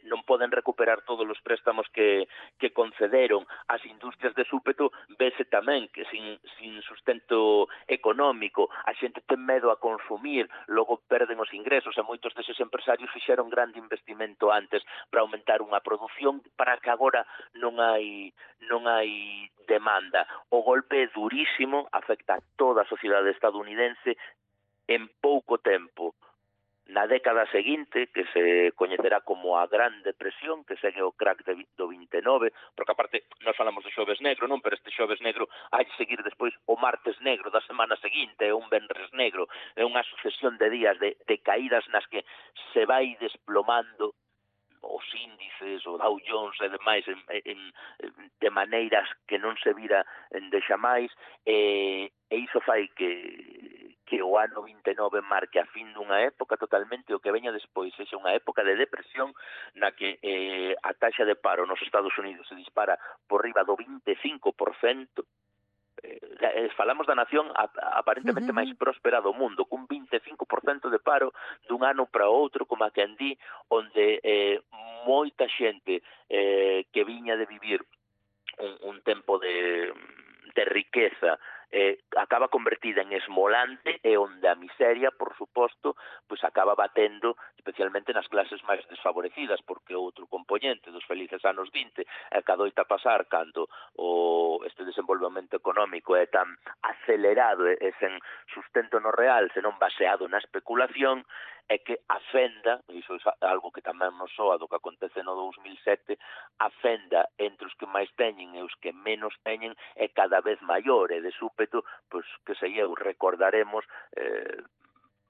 non poden recuperar todos os préstamos que concederon. As industrias de súpeto vese tamén que sin sustento económico, a xente ten medo a consumir, logo perden os ingresos, e moitos deses empresarios fixeron grande investimento antes para aumentar unha produción para que agora non hai demanda. O golpe é durísimo, afecta a toda a sociedade estadounidense en pouco tempo. Na década seguinte, que se coñecerá como a Gran Depresión, que segue o crack do 29, porque aparte nós falamos de xoves negro, non? Pero este xoves negro hai de seguir despois o martes negro da semana seguinte, un venres negro, é unha sucesión de días de caídas nas que se vai desplomando os índices, o Dow Jones e demais de maneiras que non se vira de xamais, e iso fai que o ano 29 marque a fin dunha época totalmente, o que veña despois sexa unha época de depresión na que a taxa de paro nos Estados Unidos se dispara por riba do 25%. Falamos da nación aparentemente máis próspera do mundo, cun 25% de paro dun ano para outro, como a quen di, onde moita xente que viña de vivir un tempo de riqueza acaba convertida en esmolante e onde a miseria, por suposto, pois acaba batendo especialmente nas clases máis desfavorecidas, porque outro componente dos felices anos 20 é que adoita pasar cando este desenvolvemento económico é tan acelerado e sen sustento no real, senón baseado na especulación, é que a fenda, iso é algo que tamén nos soa do que acontece no 2007, a fenda entre os que máis teñen e os que menos teñen é cada vez maior, e de súpeto, pois, que sei eu, recordaremos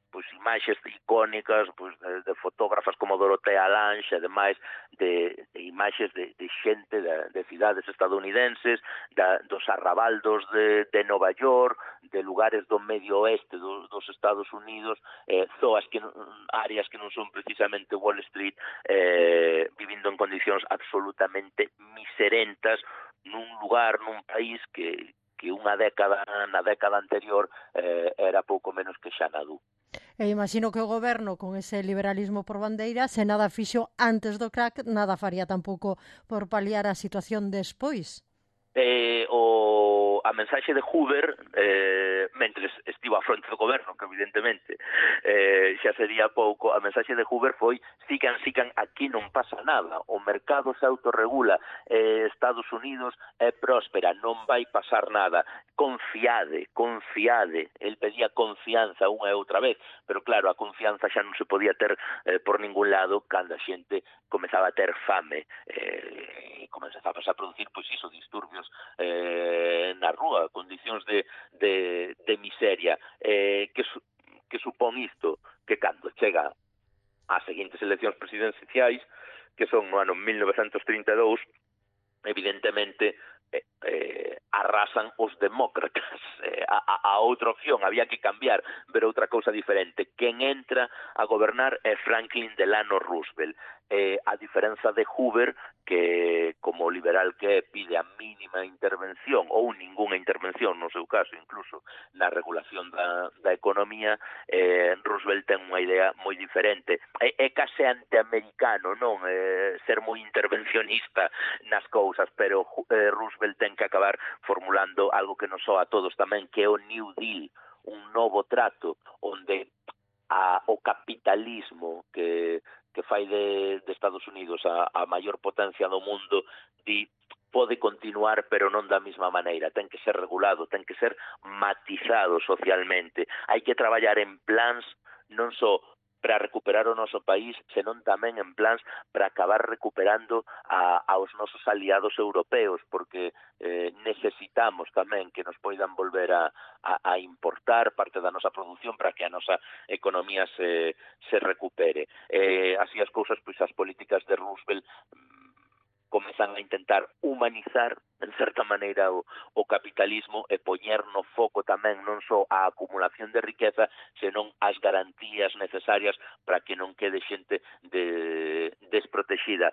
pois imaxes icónicas pois de fotógrafas como Dorotea Lange, ademais de imaxes de xente de cidades estadounidenses, dos arrabaldos de Nova York, de lugares do medio oeste dos Estados Unidos, áreas que non son precisamente Wall Street, vivindo en condicións absolutamente miserentas nun lugar, nun país que na década anterior era pouco menos que Xanadu. E imagino que o goberno, con ese liberalismo por bandeira, se nada fixo antes do crack, nada faría tampouco por paliar a situación despois. A mensaxe de Hoover, mentres estivo á fronte do goberno, que evidentemente xa sería pouco, a mensaxe de Hoover foi sigan, aquí non pasa nada, o mercado se autorregula, Estados Unidos é próspera, non vai pasar nada, confiade, el pedía confianza unha e outra vez, pero claro, a confianza xa non se podía ter por ningún lado cando a xente comezaba a ter fame, e comezaba a producir, pois iso, disturbios na rúa, condicións de miseria, que supón isto, que cando chega ás seguintes eleccións presidenciais, que son no ano 1932, evidentemente arrasan os demócratas. A outra opción había que cambiar, ver outra cousa diferente. Quen entra a gobernar é Franklin Delano Roosevelt. A diferenza de Hoover, que como liberal que pide a mínima intervención ou ningunha intervención, no seu caso, incluso na regulación da economía, Roosevelt ten unha idea moi diferente. É case antiamericano, non? Ser moi intervencionista nas cousas, pero Roosevelt ten que acabar formulando algo que nos soa a todos tamén, que é o New Deal, un novo trato onde o capitalismo que fai de Estados Unidos a maior potencia do mundo pode continuar, pero non da mesma maneira. Ten que ser regulado, ten que ser matizado socialmente. Hai que traballar en plans non só para recuperar o noso país, senón tamén en plans para acabar recuperando aos nosos aliados europeos, porque necesitamos tamén que nos poidan volver a importar parte da nosa produción para que a nosa economía se recupere. Así as cousas, pois as políticas de Roosevelt comezan a intentar humanizar, en certa maneira, o capitalismo e poñer no foco tamén non só a acumulación de riqueza, senón as garantías necesarias para que non quede xente desprotexida.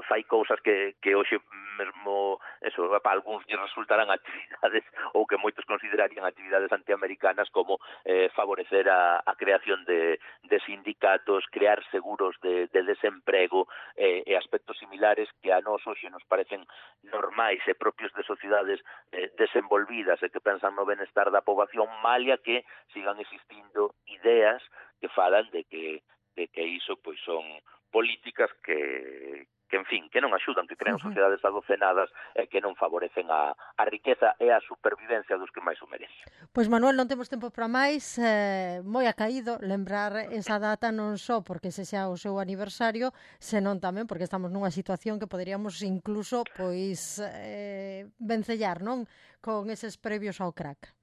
Fai cousas que hoxe mesmo, para algúns lle resultarán actividades ou que moitos considerarían actividades antiamericanas, como favorecer a creación de sindicatos, crear seguros de desemprego e aspectos similares que a nós hoxe nos parecen normais e propios de sociedades desenvolvidas e que pensan no benestar da poboación, malia que sigan existindo ideas que falan de que iso pois son políticas que en fin, que non axudan, que crean sociedades adocenadas e que non favorecen a riqueza e a supervivencia dos que máis o merecen. Pois Manuel, non temos tempo para máis, moi acaído lembrar esa data non só porque se xa o seu aniversario, senón tamén porque estamos nunha situación que poderíamos incluso pois vencellar, non? Con eses previos ao crack.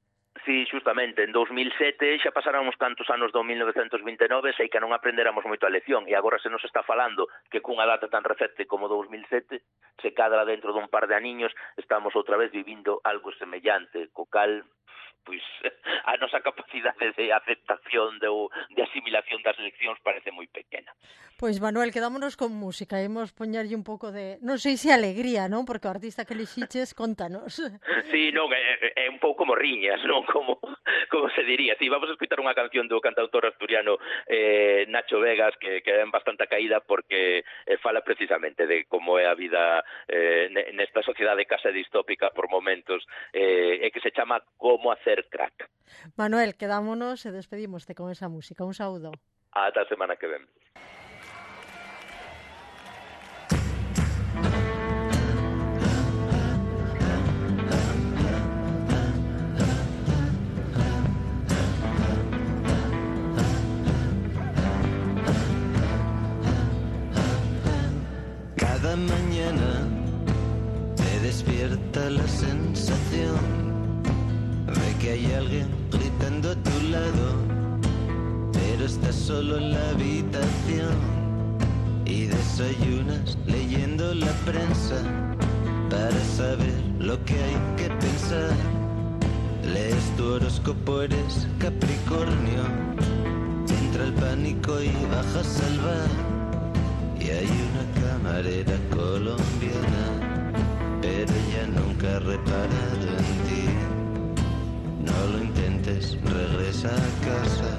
Sí, justamente, en 2007 xa pasáramos tantos anos do 1929, sei que non aprenderamos moito a lección, e agora se nos está falando que cunha data tan recente como 2007, se cadra dentro dun par de aniños, estamos outra vez vivindo algo semellante, co cal pois a nosa capacidade de aceptación de asimilación das leccións parece moi pequena. Pois, Manuel, quedámonos con música. Imos poñerlle un pouco de... Non sei se alegría, non? Porque o artista que elixiches, contanos. Sí, non, é un pouco como riñas, non? Como se diría. Sí, vamos a escutar unha canción do cantautor asturiano Nacho Vegas, que é bastante caída porque fala precisamente de como é a vida nesta sociedade case distópica por momentos, e que se chama Como hacer crack. Manuel, quedámonos e despedímoste con esa música. Un saúdo. Ata a semana que ven. Cada mañana te despierta la sensación de que hay alguien gritando a tu lado, pero estás solo en la habitación y desayunas leyendo la prensa para saber lo que hay que pensar. Lees tu horóscopo, eres Capricornio, entra el pánico y bajas al bar. Y hay una camarera colombiana, pero ella nunca ha reparado en ti. No lo intentes, regresa a casa,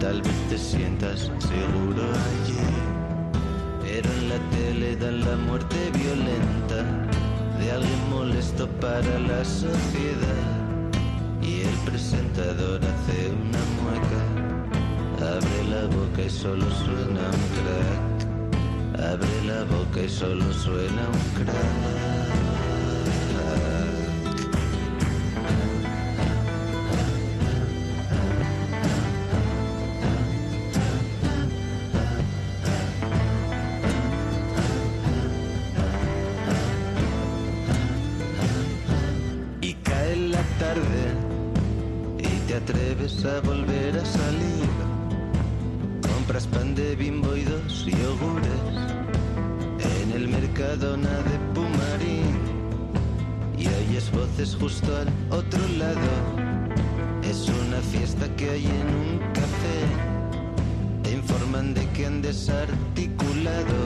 tal vez te sientas seguro allí. Pero en la tele dan la muerte violenta de alguien molesto para la sociedad. Y el presentador hace una mueca, abre la boca y solo suena un crack. Abre la boca y solo suena un crack. Y cae la tarde y te atreves a volver a salir. Compras pan de Bimbo y 2 yogures en el Mercadona de Pumarín y oyes voces justo al otro lado. Es una fiesta que hay en un café. Te informan de que han desarticulado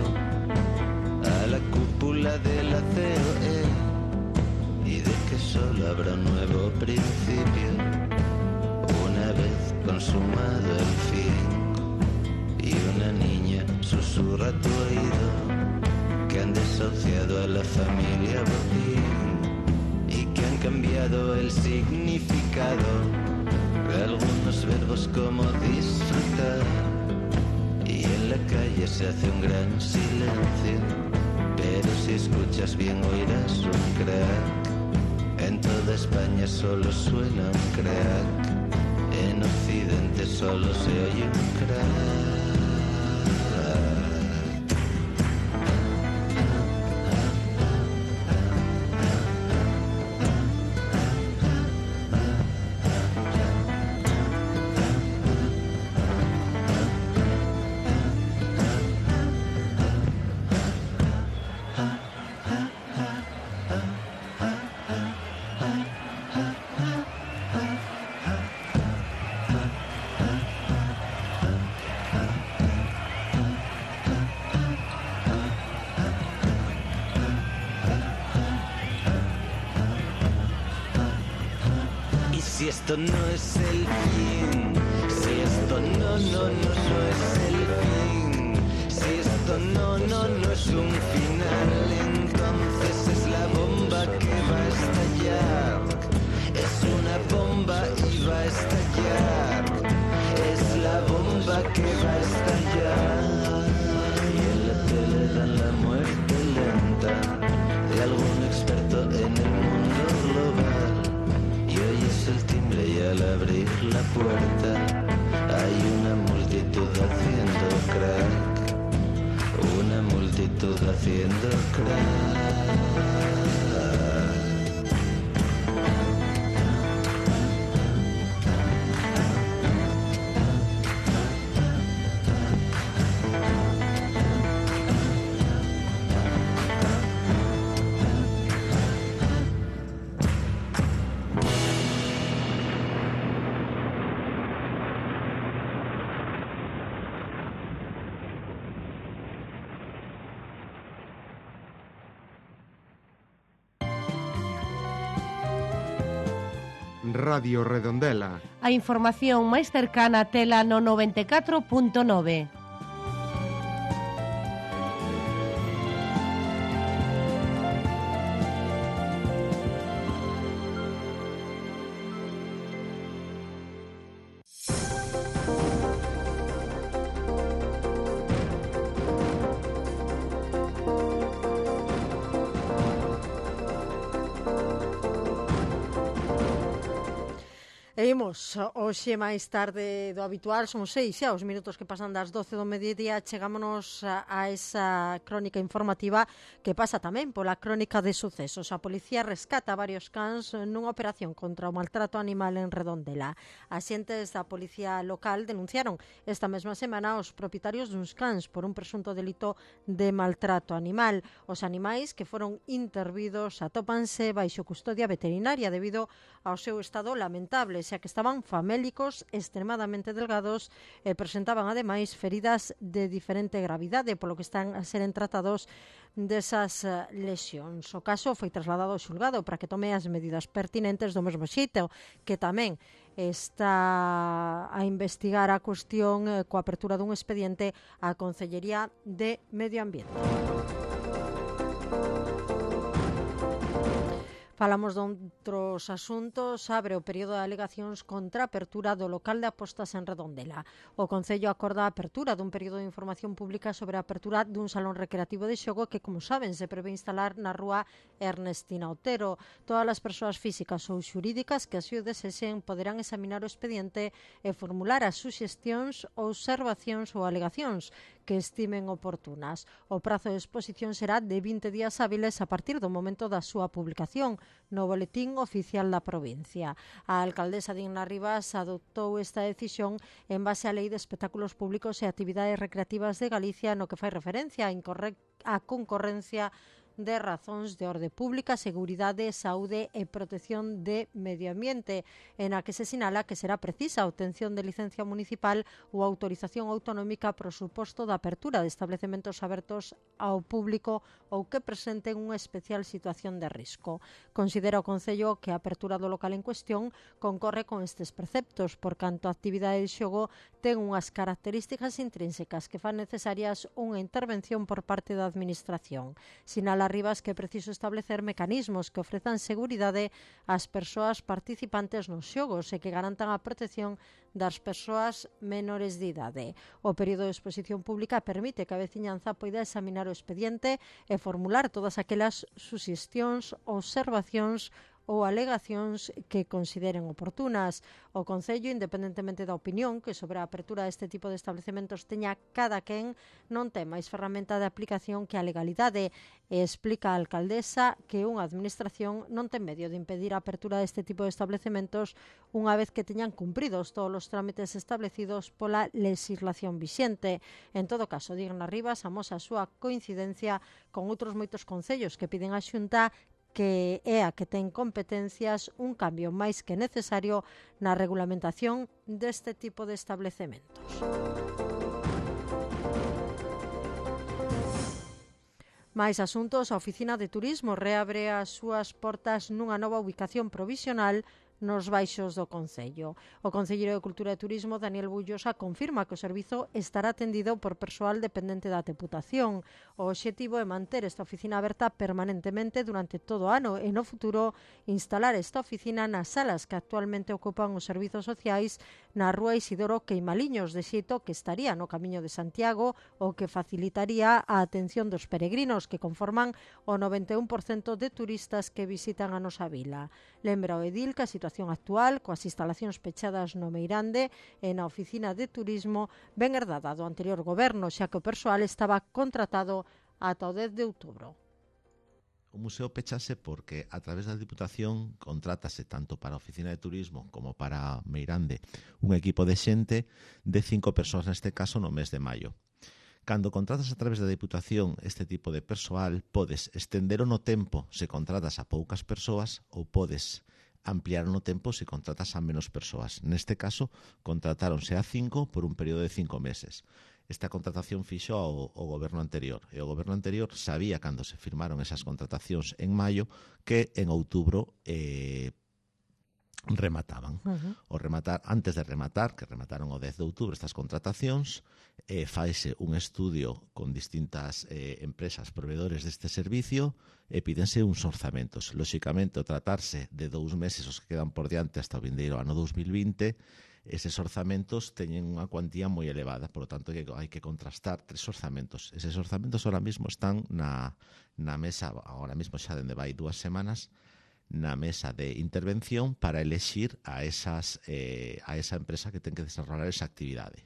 a la cúpula de la COE y de que solo habrá un nuevo principio una vez consumado el fin. Y una niña susurra a tu oído que han desahuciado a la familia Botín y que han cambiado el significado de algunos verbos como disfrutar. Y en la calle se hace un gran silencio, pero si escuchas bien oirás un crack. En toda España solo suena un crack, en Occidente solo se oye un crack. Si esto no es el fin, si esto no es el fin, si esto no es un final, entonces es la bomba que va a estallar. Es una bomba y va a estallar. Es la bomba que va a estallar. Y en la tele dan la muerte lenta de algún experto en el mundo global. El timbre y al abrir la puerta hay una multitud haciendo crack, una multitud haciendo crack. Radio Redondela. A información máis cercana tela no 94.9. E imos, hoxe máis tarde do habitual, son 6 xa os minutos que pasan das 12 do mediodía, chegámonos a esa crónica informativa que pasa tamén pola crónica de sucesos. A policía rescata varios cans nunha operación contra o maltrato animal en Redondela. Axentes da policía local denunciaron esta mesma semana os propietarios duns cans por un presunto delito de maltrato animal. Os animais que foron intervidos atópanse baixo custodia veterinaria debido ao seu estado lamentable, xa que estaban famélicos, extremadamente delgados e presentaban ademais feridas de diferente gravidade, polo que están a seren tratados desas lesións. O caso foi trasladado ao xulgado para que tome as medidas pertinentes do mesmo xeito que tamén está a investigar a cuestión coa apertura dun expediente á Consellería de Medio Ambiente. Falamos de outros asuntos. Abre o período de alegacións contra a apertura do local de apostas en Redondela. O Concello acorda a apertura dun período de información pública sobre a apertura dun salón recreativo de xogo que, como saben, se prevé instalar na rúa Ernestina Otero. Todas as persoas físicas ou xurídicas que así o desexen poderán examinar o expediente e formular as suxestións, observacións ou alegacións que estimen oportunas. O prazo de exposición será de 20 días hábiles a partir do momento da súa publicación no Boletín Oficial da Provincia. A alcaldesa Digna Rivas adoptou esta decisión en base á Lei de Espectáculos Públicos e Actividades Recreativas de Galicia, no que fai referencia á concorrencia de razóns de orde pública, seguridade, saúde e protección de medio ambiente, en a que se sinala que será precisa a obtención de licencia municipal ou autorización autonómica pro suposto da apertura de establecementos abertos ao público ou que presenten unha especial situación de risco. Considera o Concello que a apertura do local en cuestión concorre con estes preceptos, por canto a actividade de xogo ten unhas características intrínsecas que fan necesarias unha intervención por parte da Administración. Sinala Rivas que é preciso establecer mecanismos que ofrezan seguridade ás persoas participantes nos xogos e que garantan a protección das persoas menores de idade. O período de exposición pública permite que a veciñanza poida examinar o expediente e formular todas aquelas suxestións, observacións ou alegacións que consideren oportunas. O Concello, independentemente da opinión que sobre a apertura deste tipo de establecementos teña cada quen, non ten máis ferramenta de aplicación que a legalidade, e explica a alcaldesa que unha administración non ten medio de impedir a apertura deste tipo de establecementos unha vez que teñan cumpridos todos os trámites establecidos pola legislación vixente. En todo caso, Digna Rivas amosa a súa coincidencia con outros moitos concellos que piden á Xunta, que é a que ten competencias, un cambio máis que necesario na regulamentación deste tipo de establecementos. Mais asuntos, a Oficina de Turismo reabre as súas portas nunha nova ubicación provisional nos baixos do Concello. O Concelleiro de Cultura e Turismo, Daniel Bullosa, confirma que o servizo estará atendido por persoal dependente da Deputación. O obxectivo é manter esta oficina aberta permanentemente durante todo o ano e no futuro instalar esta oficina nas salas que actualmente ocupan os servizos sociais na rúa Isidoro Queimaliños, de xeito que estaría no Camiño de Santiago, o que facilitaría a atención dos peregrinos que conforman o 91% de turistas que visitan a nosa vila. Lembra o edil que a situación actual, coas instalacións pechadas no Meirande e na Oficina de Turismo, ben herdada do anterior goberno, xa que o persoal estaba contratado ata o 10 de outubro. O museo pechase porque a través da Diputación contrátase tanto para a Oficina de Turismo como para Meirande un equipo de xente de 5 persoas neste caso no mes de maio. Cando contratas a través da Diputación este tipo de persoal, podes estender no tempo se contratas a poucas persoas ou podes ampliar no tempo se contratas a menos persoas. Neste caso, contratáronse a 5 por un período de 5 meses. Esta contratación fixo ao goberno anterior. E o goberno anterior sabía, cando se firmaron esas contratacións en maio, que en outubro remataban. Antes de rematar, que remataron o 10 de outubro estas contratacións, faise un estudio con distintas empresas proveedores deste servicio e pídense uns orzamentos. Lóxicamente, o tratarse de 2 meses os que quedan por diante hasta o vindeiro ano 2020, eses orzamentos teñen unha cuantía moi elevada, por lo tanto hai que contrastar 3 orzamentos. Eses orzamentos ahora mismo están na mesa, ahora mismo xa dende vai 2 semanas, na mesa de intervención para elexir a esa empresa que ten que desarrollar esa actividade.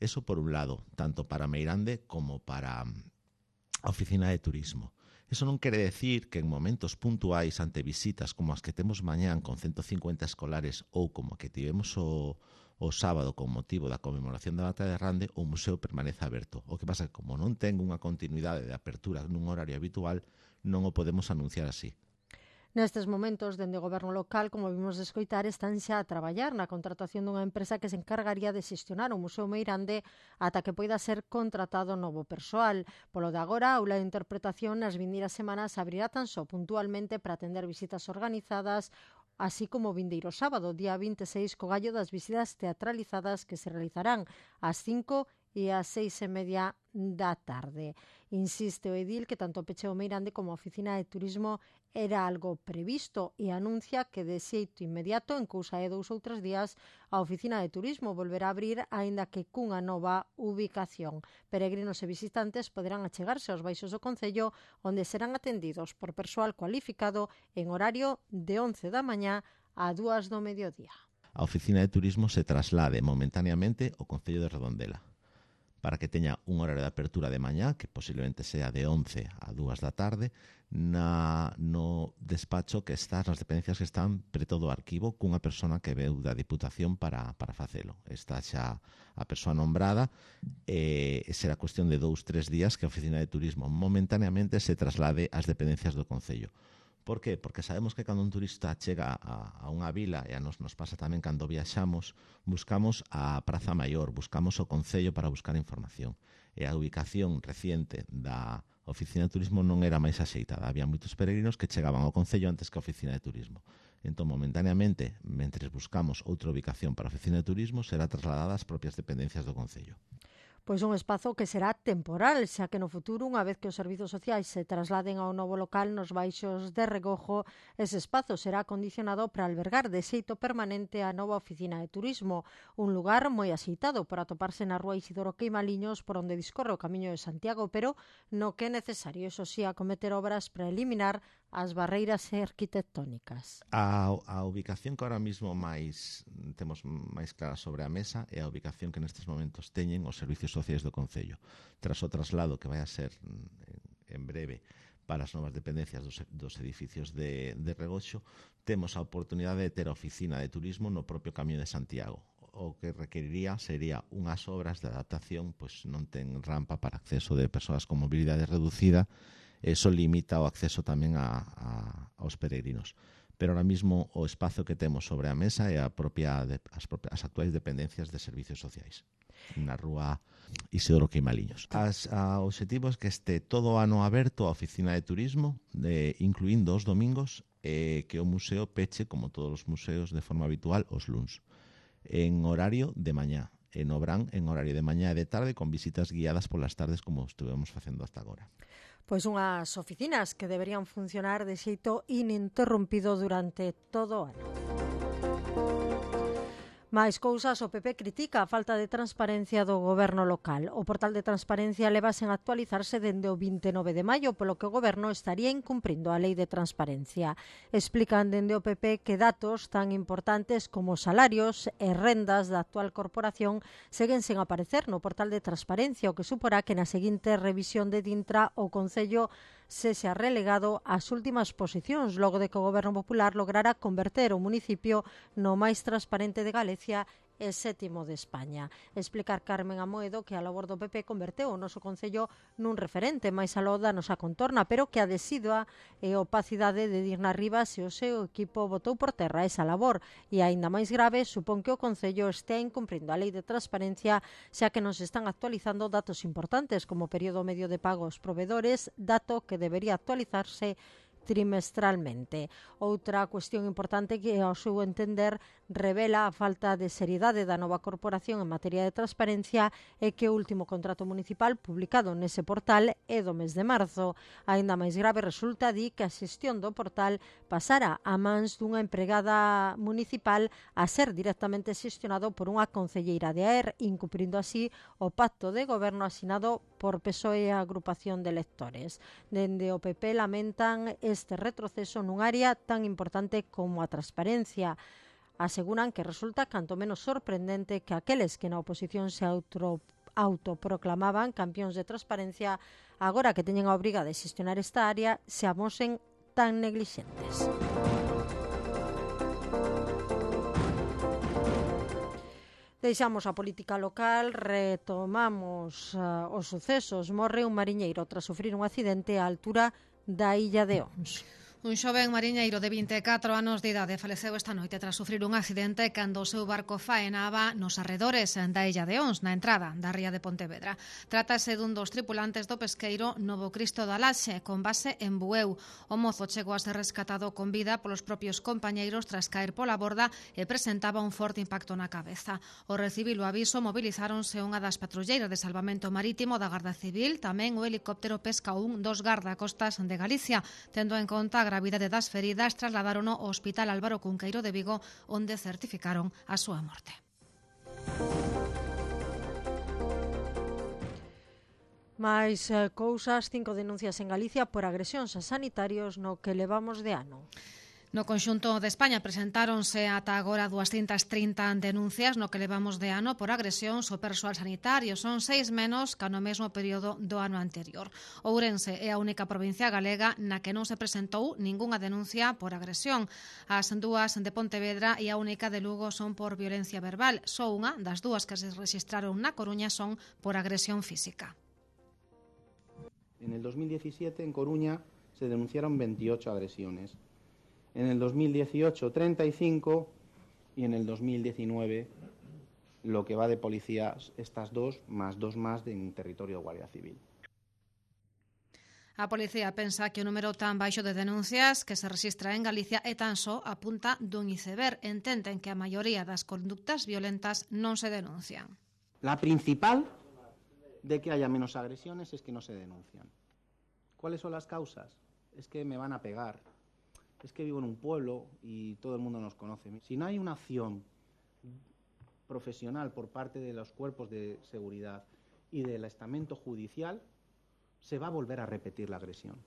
Eso por un lado, tanto para Meirande como para a Oficina de Turismo. Eso non quere decir que en momentos puntuais ante visitas como as que temos mañán con 150 escolares ou como a que tivemos o sábado con motivo da conmemoración da Batalla de Rande, o museo permanece aberto. O que pasa é que como non ten unha continuidade de apertura nun horario habitual, non o podemos anunciar así. Nestes momentos, dende o goberno local, como vimos de escoitar, están xa a traballar na contratación dunha empresa que se encargaría de xestionar o Museo Meirande ata que poida ser contratado novo persoal. Polo de agora, a aula de interpretación nas vindeiras semanas abrirá tan só puntualmente para atender visitas organizadas, así como o vindeiro sábado, día 26, co gallo das visitas teatralizadas que se realizarán ás 5 e ás 6:30 da tarde. Insiste o edil que tanto o pecheo Meirande como a Oficina de Turismo era algo previsto e anuncia que de xeito inmediato, en cousa de 2 ou 3 días, a Oficina de Turismo volverá a abrir, aínda que cunha nova ubicación. Peregrinos e visitantes poderán achegarse aos baixos do Concello, onde serán atendidos por persoal cualificado en horario de 11 da mañá a 2 do mediodía. A Oficina de Turismo se traslade momentaneamente ao Concello de Redondela, para que teña un horario de apertura de mañá, que posiblemente sea de 11 a 2 da tarde, no despacho que está, nas dependencias que están preto do arquivo, cunha persona que veu da Diputación para facelo. Está xa a persoa nombrada, será cuestión de 2-3 días que a Oficina de Turismo momentaneamente se traslade ás dependencias do Concello. Por qué? Porque sabemos que cando un turista chega a unha vila, e a nos pasa tamén cando viaxamos, buscamos a Praza Maior, buscamos o Concello para buscar información. E a ubicación reciente da Oficina de Turismo non era máis axeitada. Había moitos peregrinos que chegaban ao Concello antes que a Oficina de Turismo. Entón, momentaneamente, mentre buscamos outra ubicación para a Oficina de Turismo, será trasladada ás propias dependencias do Concello. Pois un espazo que será temporal, xa que no futuro, unha vez que os servizos sociais se trasladen ao novo local nos baixos de Regojo, ese espazo será acondicionado para albergar de xeito permanente a nova Oficina de Turismo, un lugar moi axeitado por atoparse na rúa Isidoro Queimaliños, por onde discorre o Camiño de Santiago, pero no que é necesario, eso sí, acometer obras para eliminar as barreiras arquitectónicas. A ubicación que ahora mismo temos máis clara sobre a mesa é a ubicación que nestes momentos teñen os servicios sociais do Concello. Tras o traslado que vai a ser en breve para as novas dependencias dos edificios de Regoxo, temos a oportunidade de ter a Oficina de Turismo no propio Camiño de Santiago. O que requeriría sería unhas obras de adaptación, pois non ten rampa para acceso de persoas con mobilidade reducida. Eso limita o acceso tamén aos peregrinos. Pero ahora mismo o espazo que temos sobre a mesa é as actuais dependencias de servicios sociais na rúa Isidoro Queimaliños. O obxectivo é que este todo o ano aberto a Oficina de Turismo, incluindo os domingos, que o museo peche, como todos os museos, de forma habitual, os luns, en horario de mañá. En Obrán, en horario de mañá e de tarde, con visitas guiadas polas tardes, como estuvemos facendo hasta agora. Pois unhas oficinas que deberían funcionar de xeito ininterrompido durante todo o ano. Máis cousas, o PP critica a falta de transparencia do goberno local. O portal de transparencia leva sen actualizarse dende o 29 de maio, polo que o goberno estaría incumprindo a lei de transparencia. Explican dende o PP que datos tan importantes como salarios e rendas da actual corporación seguen sen aparecer no portal de transparencia, o que suporá que na seguinte revisión de Dintra o Concello sexa relegado ás últimas posicións, logo de que o Goberno Popular lograra converter o municipio no máis transparente de Galicia e 7º de España. Explicar Carmen Amoedo que a labor do PP converteu o noso Concello nun referente máis aló da nosa contorna, pero que a desidua e opacidade de Dirna Rivas e o seu equipo botou por terra esa labor e, aínda máis grave, supón que o Concello estea incumprindo a lei de transparencia, xa que nos están actualizando datos importantes como o período medio de pago aos provedores, dato que debería actualizarse trimestralmente. Outra cuestión importante que, ao seu entender, revela a falta de seriedade da nova corporación en materia de transparencia é que o último contrato municipal publicado nese portal é do mes de marzo. Aínda máis grave resulta, di, que a xestión do portal pasara a mans dunha empregada municipal a ser directamente xestionado por unha concelleira de AER, incumprindo así o pacto de goberno asinado por PSOE e a agrupación de electores. Dende o PP lamentan este retroceso nun área tan importante como a transparencia. Aseguran que resulta canto menos sorprendente que aqueles que na oposición se autoproclamaban campións de transparencia, agora que teñen a obriga de xestionar esta área, se amosen tan neglixentes. Deixamos a política local, retomamos os sucesos. Morre un mariñeiro tras sufrir un accidente á altura da illa de Ons. Un xoven mariñeiro de 24 anos de idade faleceu esta noite tras sufrir un accidente cando o seu barco faenaba nos arredores da illa de Ons, na entrada da ría de Pontevedra. Trátase dun dos tripulantes do pesqueiro Novo Cristo da Laxe, con base en Bueu. O mozo chegou a ser rescatado con vida polos propios compañeiros tras caer pola borda e presentaba un forte impacto na cabeza. O recibir o aviso mobilizáronse unha das patrulleiras de salvamento marítimo da Garda Civil, tamén o helicóptero Pesca 1 dos gardacostas de Galicia. Tendo en conta a gravidade das feridas, trasladarono ao Hospital Álvaro Cunqueiro de Vigo, onde certificaron a súa morte. Mais cousas, 5 denuncias en Galicia por agresións a sanitarios no que levamos de ano. No conxunto de España presentáronse ata agora 230 denuncias no que levamos de ano por agresións ao persoal sanitario. Son 6 menos que no mesmo período do ano anterior. Ourense é a única provincia galega na que non se presentou ningunha denuncia por agresión. As dúas de Pontevedra e a única de Lugo son por violencia verbal. Só unha das dúas que se registraron na Coruña son por agresión física. En el 2017 en Coruña se denunciaron 28 agresiones. En el 2018, 35, y en el 2019, lo que va de policías, estas dos más en territorio de Guardia Civil. A policía pensa que o número tan baixo de denuncias que se rexistra en Galicia é tan só a punta dun iceberg. Entenden que a maioría das conductas violentas non se denuncian. La principal de que haya menos agresiones es que no se denuncian. ¿Cuáles son las causas? Es que me van a pegar. Es que vivo en un pueblo y todo el mundo nos conoce. Si no hay una acción profesional por parte de los cuerpos de seguridad y del estamento judicial, se va a volver a repetir la agresión.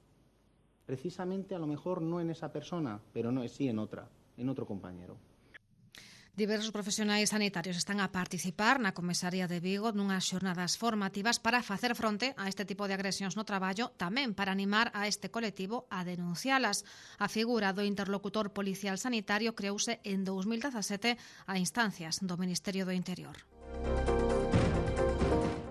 Precisamente, a lo mejor no en esa persona, pero no, sí en otro compañero. Diversos profesionais sanitarios están a participar na Comisaría de Vigo nunhas xornadas formativas para facer fronte a este tipo de agresións no traballo, tamén para animar a este colectivo a denuncialas. A figura do interlocutor policial sanitario creouse en 2017 a instancias do Ministerio do Interior.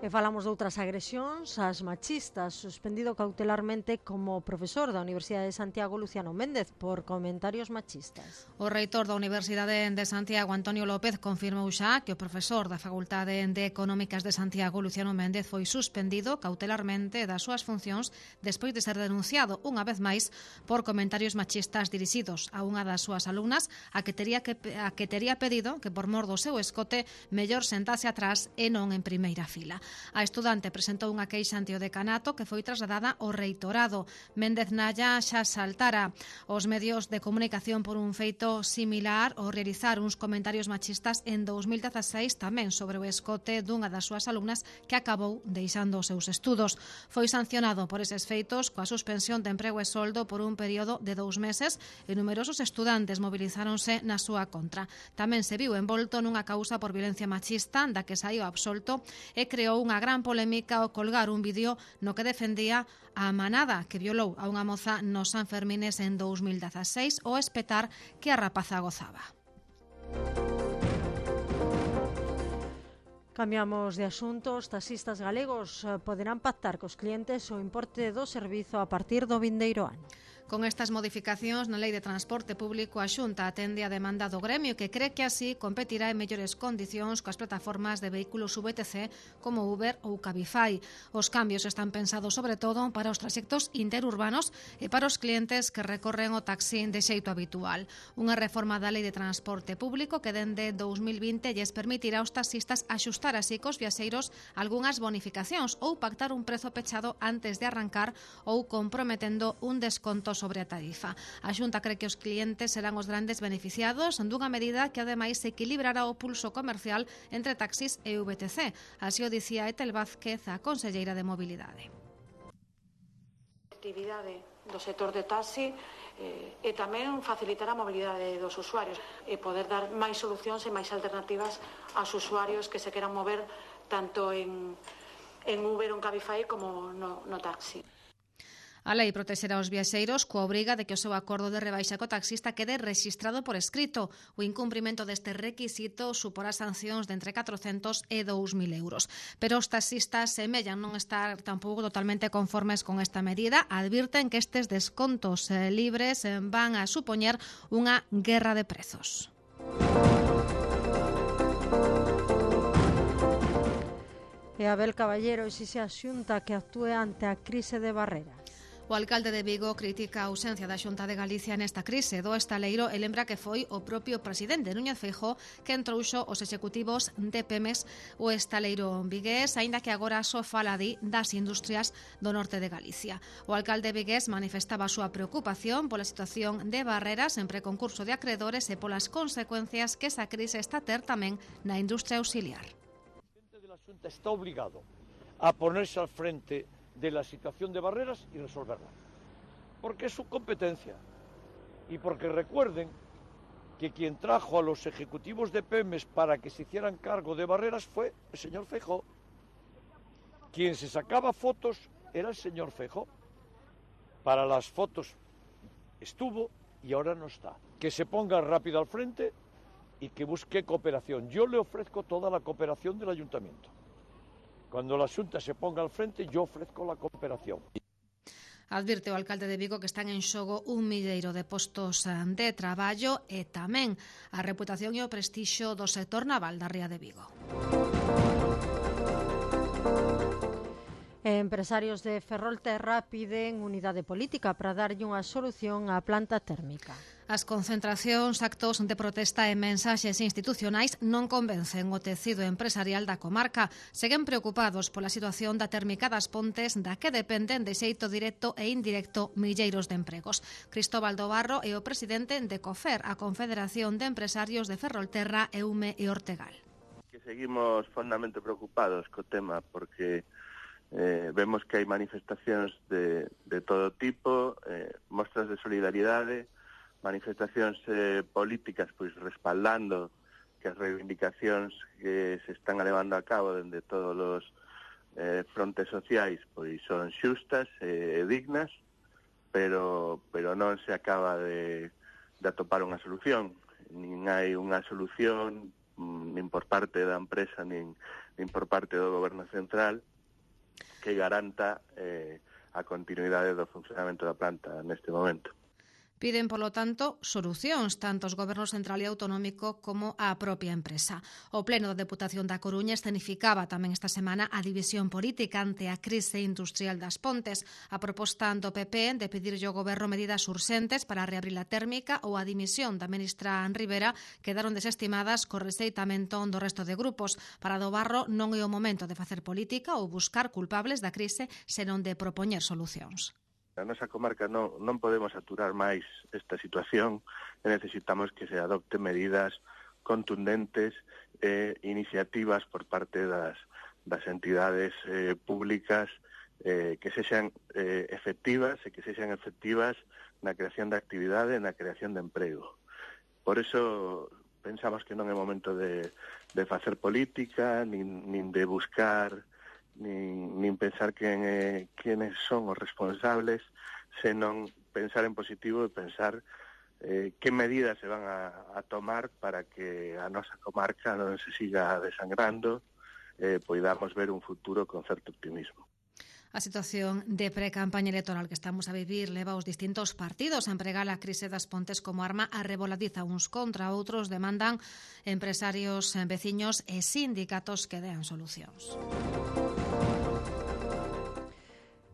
E falamos de outras agresións, as machistas, suspendido cautelarmente como profesor da Universidade de Santiago Luciano Méndez por comentarios machistas. O reitor da Universidade de Santiago, Antonio López, confirmou xa que o profesor da Facultade de Económicas de Santiago, Luciano Méndez, foi suspendido cautelarmente das súas funcións despois de ser denunciado unha vez máis por comentarios machistas dirixidos a unha das súas alumnas a que tería pedido que por mor do seu escote mellor sentase atrás e non en primeira fila. A estudante presentou unha queixa ante o decanato que foi trasladada ao reitorado. Méndez Nalla xa saltara os medios de comunicación por un feito similar ao realizar uns comentarios machistas en 2016 tamén sobre o escote dunha das súas alumnas que acabou deixando os seus estudos. Foi sancionado por eses feitos coa suspensión de emprego e soldo por un período de 2 meses e numerosos estudantes movilizáronse na súa contra. Tamén se viu envolto nunha causa por violencia machista da que saiu absolto e creou unha gran polémica ao colgar un vídeo no que defendía a manada que violou a unha moza nos Sanfermines en 2016 ao espetar que a rapaza gozaba. Cambiamos de asunto. Os taxistas galegos poderán pactar cos clientes o importe do servizo a partir do vindeiro ano. Con estas modificacións na Lei de Transporte Público, a Xunta atende a demanda do gremio, que cree que así competirá en mellores condicións coas plataformas de vehículos VTC como Uber ou Cabify. Os cambios están pensados sobre todo para os traxectos interurbanos e para os clientes que recorren o taxi de xeito habitual. Unha reforma da Lei de Transporte Público que dende 2020 lles permitirá aos taxistas axustar así cos viaxeiros algunhas bonificacións ou pactar un prezo pechado antes de arrancar ou comprometendo un desconto sobre a tarifa. A Xunta cree que os clientes serán os grandes beneficiados dunha medida que ademais equilibrará o pulso comercial entre taxis e VTC. Así o dicía Etel Vázquez, a conselleira de Mobilidade. A actividade do sector de taxi e tamén facilitar a mobilidade dos usuarios e poder dar máis solucións e máis alternativas aos usuarios que se queran mover tanto en Uber ou en Cabify como no taxi. A lei protexerá os viaxeiros coa obriga de que o seu acordo de rebaixa co taxista quede rexistrado por escrito. O incumprimento deste requisito suporá sancións de entre 400 e 2.000 euros. Pero os taxistas semellan non estar tampouco totalmente conformes con esta medida. Advirten que estes descontos libres van a supoñer unha guerra de prezos. E Abel Caballero exixe a Xunta que actúe ante a crise de Barreras. O alcalde de Vigo critica a ausencia da Xunta de Galicia nesta crise do estaleiro e lembra que foi o propio presidente Núñez Feijóo que entrouxo os executivos de Pemex o estaleiro vigués, aínda que agora só fala das industrias do norte de Galicia. O alcalde vigués manifestaba a súa preocupación pola situación de Barreras en preconcurso de acreedores e polas consecuencias que esa crise está a ter tamén na industria auxiliar. El presidente de la Xunta está obligado a ponerse al frente de la situación de Barreras y resolverla, porque es su competencia y porque recuerden que quien trajo a los ejecutivos de Pemex para que se hicieran cargo de Barreras fue el señor Feijóo. Quien se sacaba fotos era el señor Feijóo. Para las fotos estuvo y ahora no está. Que se ponga rápido al frente y que busque cooperación. Yo le ofrezco toda la cooperación del ayuntamiento. Cuando la Xunta se ponga al frente, yo ofrezco la cooperación. Advirte o alcalde de Vigo que están en xogo un milleiro de postos de traballo e tamén a reputación e o prestixio do sector naval da ría de Vigo. Empresarios de Ferrolterra piden unidade política para darlle unha solución á planta térmica. As concentracións, actos de protesta e mensaxes institucionais non convencen o tecido empresarial da comarca. Seguen preocupados pola situación da térmica das Pontes, da que dependen de xeito directo e indirecto milleiros de empregos. Cristóbal do Barro é o presidente de COFER, a Confederación de Empresarios de Ferrolterra, Eume e Ortegal. Que seguimos fondamente preocupados co tema porque vemos que hai manifestacións de todo tipo, mostras de solidariedade, manifestacións políticas pois respaldando que as reivindicacións que se están levando a cabo dende todos os frontes sociais pois son xustas e dignas, pero non se acaba de atopar unha solución. Nin hai unha solución nin por parte da empresa nin por parte do goberno central que garanta a continuidade do funcionamento da planta neste momento. Piden, polo tanto, solucións, tanto os gobernos central e autonómico como a propia empresa. O Pleno da Deputación da Coruña escenificaba tamén esta semana a división política ante a crise industrial das Pontes. A proposta do PP de pedirlle ao goberno medidas urxentes para reabrir a térmica ou a dimisión da ministra Rivera quedaron desestimadas co rexeitamento do resto de grupos. Para do Barro non é o momento de facer política ou buscar culpables da crise, senón de propoñer solucións. Na nosa comarca non podemos aturar máis esta situación e necesitamos que se adopten medidas contundentes e iniciativas por parte das entidades públicas que sexan efectivas e que sexan efectivas na creación de actividade e na creación de emprego. Por eso pensamos que non é momento de facer política, nin de buscar nin pensar quenes son os responsables, senón pensar en positivo e pensar que medidas se van a tomar para que a nosa comarca non se siga desangrando, poidamos ver un futuro con certo optimismo. A situación de pre-campaña electoral que estamos a vivir leva os distintos partidos a empregar a crise das Pontes como arma arreboladiza. Uns contra outros demandan empresarios, veciños e sindicatos que dean solucións.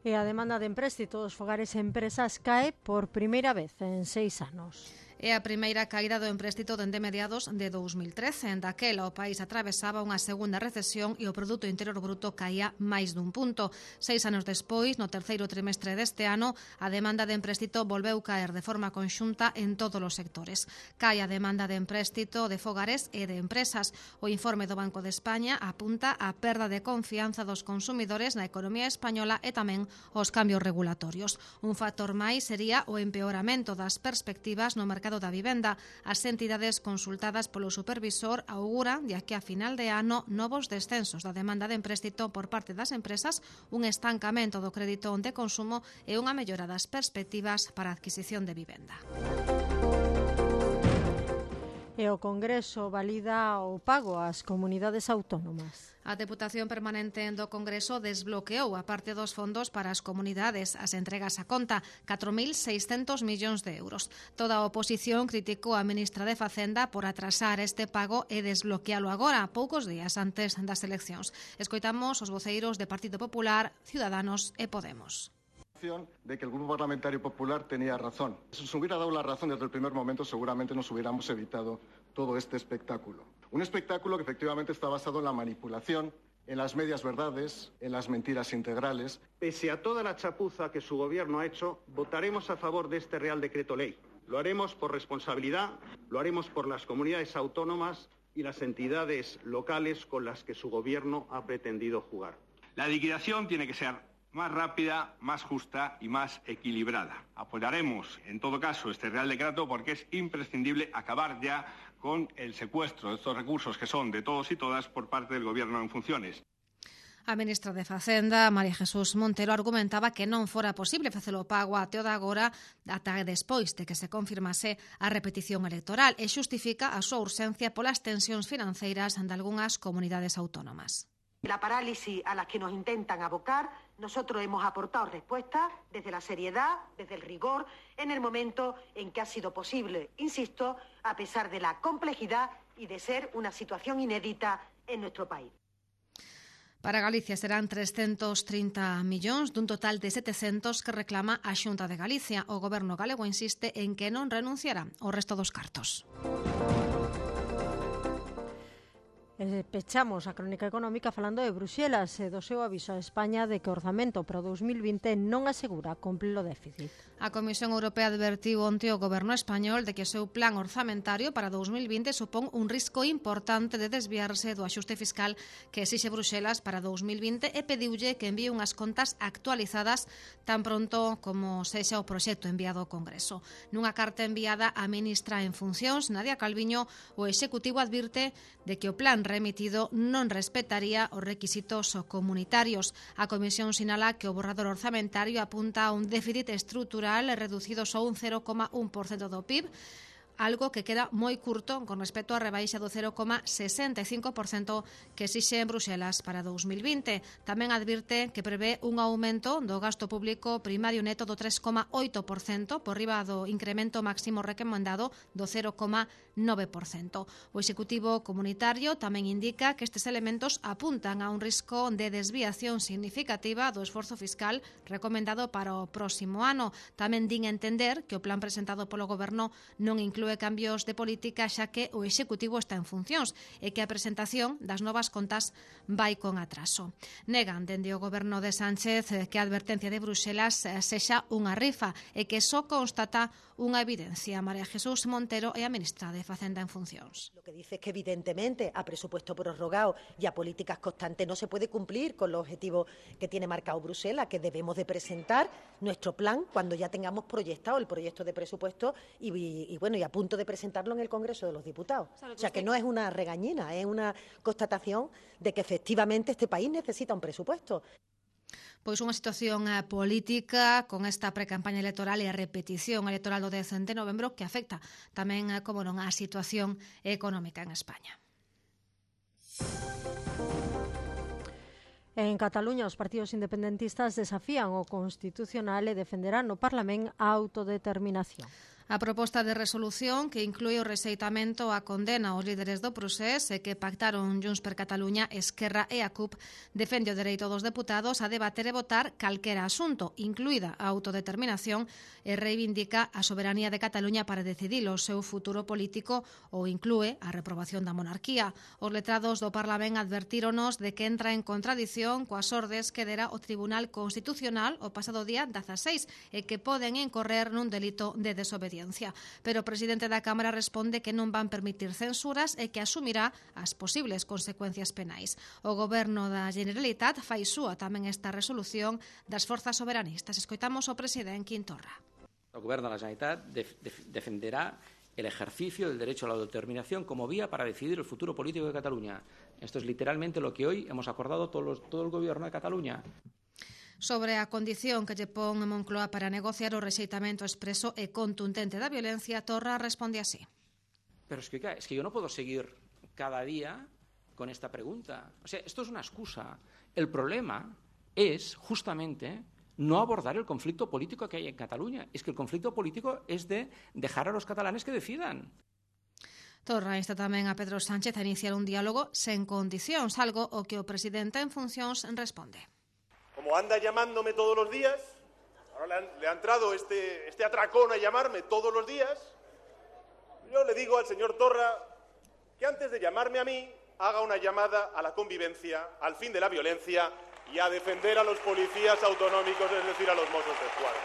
E a demanda de empréstito dos fogares e empresas cae por primeira vez en 6 anos. É a primeira caída do empréstito dende mediados de 2013. Daquela o país atravesaba unha segunda recesión e o Produto Interior Bruto caía máis dun punto. 6 anos despois, no terceiro trimestre deste ano, a demanda de empréstito volveu caer de forma conxunta en todos os sectores. Cae a demanda de empréstito de fogares e de empresas. O informe do Banco de España apunta a perda de confianza dos consumidores na economía española e tamén os cambios regulatorios. Un factor máis sería o empeoramento das perspectivas no mercado da vivenda. As entidades consultadas polo supervisor auguran de aquí a final de ano novos descensos da demanda de empréstito por parte das empresas, un estancamento do crédito de consumo e unha mellora das perspectivas para a adquisición de vivenda. E o Congreso valida o pago ás comunidades autónomas. A Deputación Permanente do Congreso desbloqueou a parte dos fondos para as comunidades. As entregas a conta, 4.600 millóns de euros. Toda a oposición criticou a ministra de Facenda por atrasar este pago e desbloquealo agora, poucos días antes das eleccións. Escoitamos os voceiros de Partido Popular, Ciudadanos e Podemos. De que el Grupo Parlamentario Popular tenía razón. Si nos hubiera dado la razón desde el primer momento, seguramente nos hubiéramos evitado todo este espectáculo. Un espectáculo que efectivamente está basado en la manipulación, en las medias verdades, en las mentiras integrales. Pese a toda la chapuza que su gobierno ha hecho, votaremos a favor de este Real Decreto Ley. Lo haremos por responsabilidad, lo haremos por las comunidades autónomas y las entidades locales con las que su gobierno ha pretendido jugar. La liquidación tiene que ser más rápida, más justa y más equilibrada. Apoyaremos, en todo caso, este Real Decreto porque es imprescindible acabar ya con el secuestro de estos recursos que son de todos y todas por parte del Gobierno en funciones. A ministra de Facenda, María Jesús Montero, argumentaba que non fora posible facer o pago até o de agora ata despois de que se confirmase a repetición electoral e xustifica a súa urxencia polas tensións financeiras de algunhas comunidades autónomas. La parálisis a la que nos intentan abocar, nosotros hemos aportado respuestas desde la seriedad, desde el rigor, en el momento en que ha sido posible, insisto, a pesar de la complejidad y de ser una situación inédita en nuestro país. Para Galicia serán 330 millóns dun total de 700 que reclama a Xunta de Galicia. O Goberno galego insiste en que non renunciará ao resto dos cartos. Pechamos a crónica económica falando de Bruxelas e do seu aviso a España de que o orzamento para 2020 non asegura cumprir o déficit. A Comisión Europea advertiu onte o goberno español de que o seu plan orzamentario para 2020 supón un risco importante de desviarse do axuste fiscal que exixe Bruxelas para 2020 e pediulle que envíe unhas contas actualizadas tan pronto como sexa o proxecto enviado ao Congreso. Nunha carta enviada á ministra en funcións, Nadia Calviño, o Executivo advirte de que o plan remitido non respetaría os requisitos comunitarios. A Comisión sinala que o borrador orzamentario apunta a un déficit estrutural reducido só un 0,1% do PIB, algo que queda moi curto con respecto á rebaixa do 0,65% que exixe en Bruxelas para 2020. Tamén advirte que prevé un aumento do gasto público primario neto do 3,8% por riba do incremento máximo recomendado do 0,9%. O Executivo Comunitario tamén indica que estes elementos apuntan a un risco de desviación significativa do esforzo fiscal recomendado para o próximo ano. Tamén din entender que o plan presentado polo Goberno non inclúe cambios de política xa que o Executivo está en funcións e que a presentación das novas contas vai con atraso. Negan dende o Goberno de Sánchez que a advertencia de Bruxelas sexa unha rifa e que só constata unha evidencia. María Jesús Montero é a ministra de Facenda en funcións. Lo que dice es que evidentemente a presupuesto prorrogado y a políticas constantes no se puede cumplir con los objetivos que tiene marcado Bruselas, que debemos de presentar nuestro plan cuando ya tengamos proyectado el proyecto de presupuesto y a punto de presentarlo en el Congreso de los Diputados. O sea, que no es una regañina, es una constatación de que efectivamente este país necesita un presupuesto. Pois unha situación política con esta precampaña electoral e a repetición electoral do 10 de novembro que afecta tamén, como non, a situación económica en España. En Cataluña, os partidos independentistas desafían o Constitucional e defenderán no Parlamento a autodeterminación. A proposta de resolución que inclúe o rexeitamento a condena aos líderes do procés e que pactaron Junts per Catalunya, Esquerra e a CUP defende o dereito dos deputados a debater e votar calquera asunto, incluída a autodeterminación, e reivindica a soberanía de Cataluña para decidir o seu futuro político ou inclúe a reprobación da monarquía. Os letrados do Parlamento advertíronos de que entra en contradición coas ordes que dera o Tribunal Constitucional o pasado día 16 e que poden incorrer nun delito de desobediencia. Pero o presidente da Cámara responde que non van permitir censuras e que asumirá as posibles consecuencias penais. O Goberno da Generalitat fai súa tamén esta resolución das forzas soberanistas. Escoitamos o presidente Quintorra. O Goberno da Generalitat defenderá el ejercicio del derecho a la autodeterminación como vía para decidir el futuro político de Cataluña. Esto es literalmente lo que hoy hemos acordado todo el Gobierno de Cataluña. Sobre a condición que lle pon Moncloa para negociar o rexeitamento expreso e contundente da violencia, Torra responde así. Pero es que yo no puedo seguir cada día con esta pregunta. O sea, esto es una excusa. El problema es justamente no abordar el conflicto político que hay en Cataluña. Es que el conflicto político es de dejar a los catalanes que decidan. Torra insta tamén a Pedro Sánchez a iniciar un diálogo sen condicións, algo o que o presidente en funcións responde. Como anda llamándome todos los días, ahora le ha entrado este atracón a llamarme todos los días, yo le digo al señor Torra que antes de llamarme a mí, haga una llamada a la convivencia, al fin de la violencia y a defender a los policías autonómicos, es decir, a los Mossos d'Esquadra.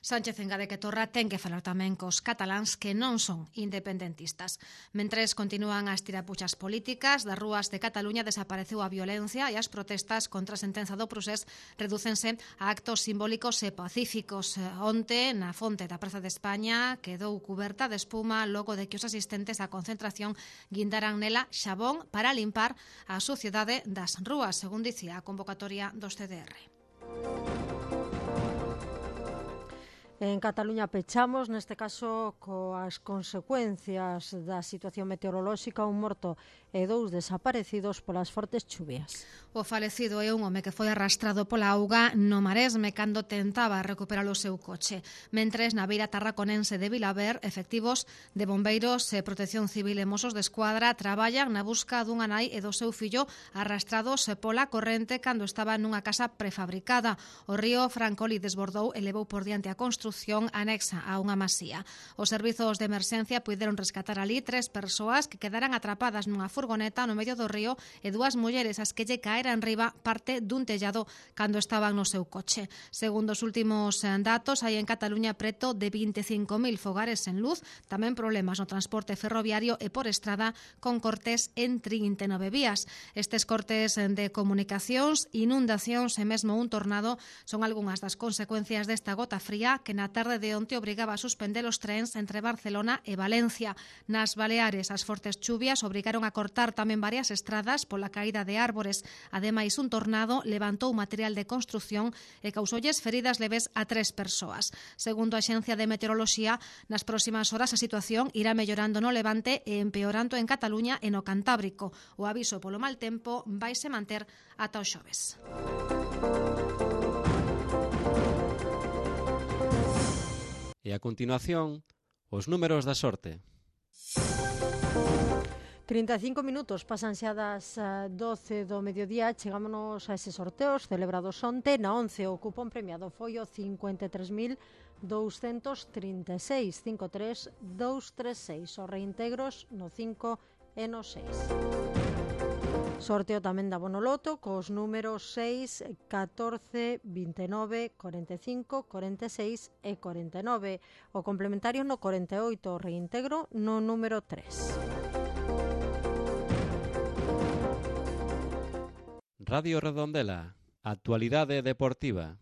Sánchez engade que Torra ten que falar tamén cos cataláns que non son independentistas. Mentres continúan as tirapuchas políticas, das rúas de Cataluña desapareceu a violencia e as protestas contra a sentenza do procés redúcense a actos simbólicos e pacíficos. Onte, na fonte da Praza de España, quedou cuberta de espuma logo de que os asistentes á concentración guindaran nela xabón para limpar a suciedade das rúas, según dicía a convocatoria dos CDR. En Cataluña pechamos, neste caso, coas consecuencias da situación meteorolóxica, un morto e 2 desaparecidos polas fortes chuvias. O falecido é un home que foi arrastrado pola auga no Maresme cando tentaba recuperar o seu coche. Mentres, na beira tarraconense de Vilaver, efectivos de bombeiros e protección civil e Mossos d'Esquadra traballan na busca dunha nai e do seu fillo arrastrados pola corrente cando estaba nunha casa prefabricada. O río Francoli desbordou e levou por diante a construción anexa a unha masía. Os servizos de emerxencia puideron rescatar ali 3 persoas que quedaran atrapadas nunha furgoneta no medio do río e 2 mulleres as que lle caeran riba parte dun tellado cando estaban no seu coche. Segundo os últimos datos, hai en Cataluña preto de 25.000 fogares sen luz, tamén problemas no transporte ferroviario e por estrada con cortes en 39 vías. Estes cortes de comunicacións, inundacións e mesmo un tornado son algunhas das consecuencias desta gota fría que na tarde de onte obrigaba a suspender os trens entre Barcelona e Valencia. Nas Baleares, as fortes chuvias obrigaron a cortar tamén varias estradas pola caída de árbores. Ademais, un tornado levantou material de construción e causoulles feridas leves a 3 persoas. Segundo a Axencia de Meteoroloxía, nas próximas horas a situación irá mellorando no Levante e empeorando en Cataluña e no Cantábrico. O aviso polo mal tempo vaise manter ata o xoves. E a continuación, os números da sorte. 35 minutos pasan xa das 12 do mediodía. Chegámonos a eses sorteos celebrados onte. Na 11 o cupón premiado foi o 53.236, 53236. Os reintegros no 5 e no 6. Sorteo tamén da Bonoloto cos números 6, 14, 29, 45, 46 e 49. O complementario no 48, o reintegro no número 3. Radio Redondela, actualidade deportiva.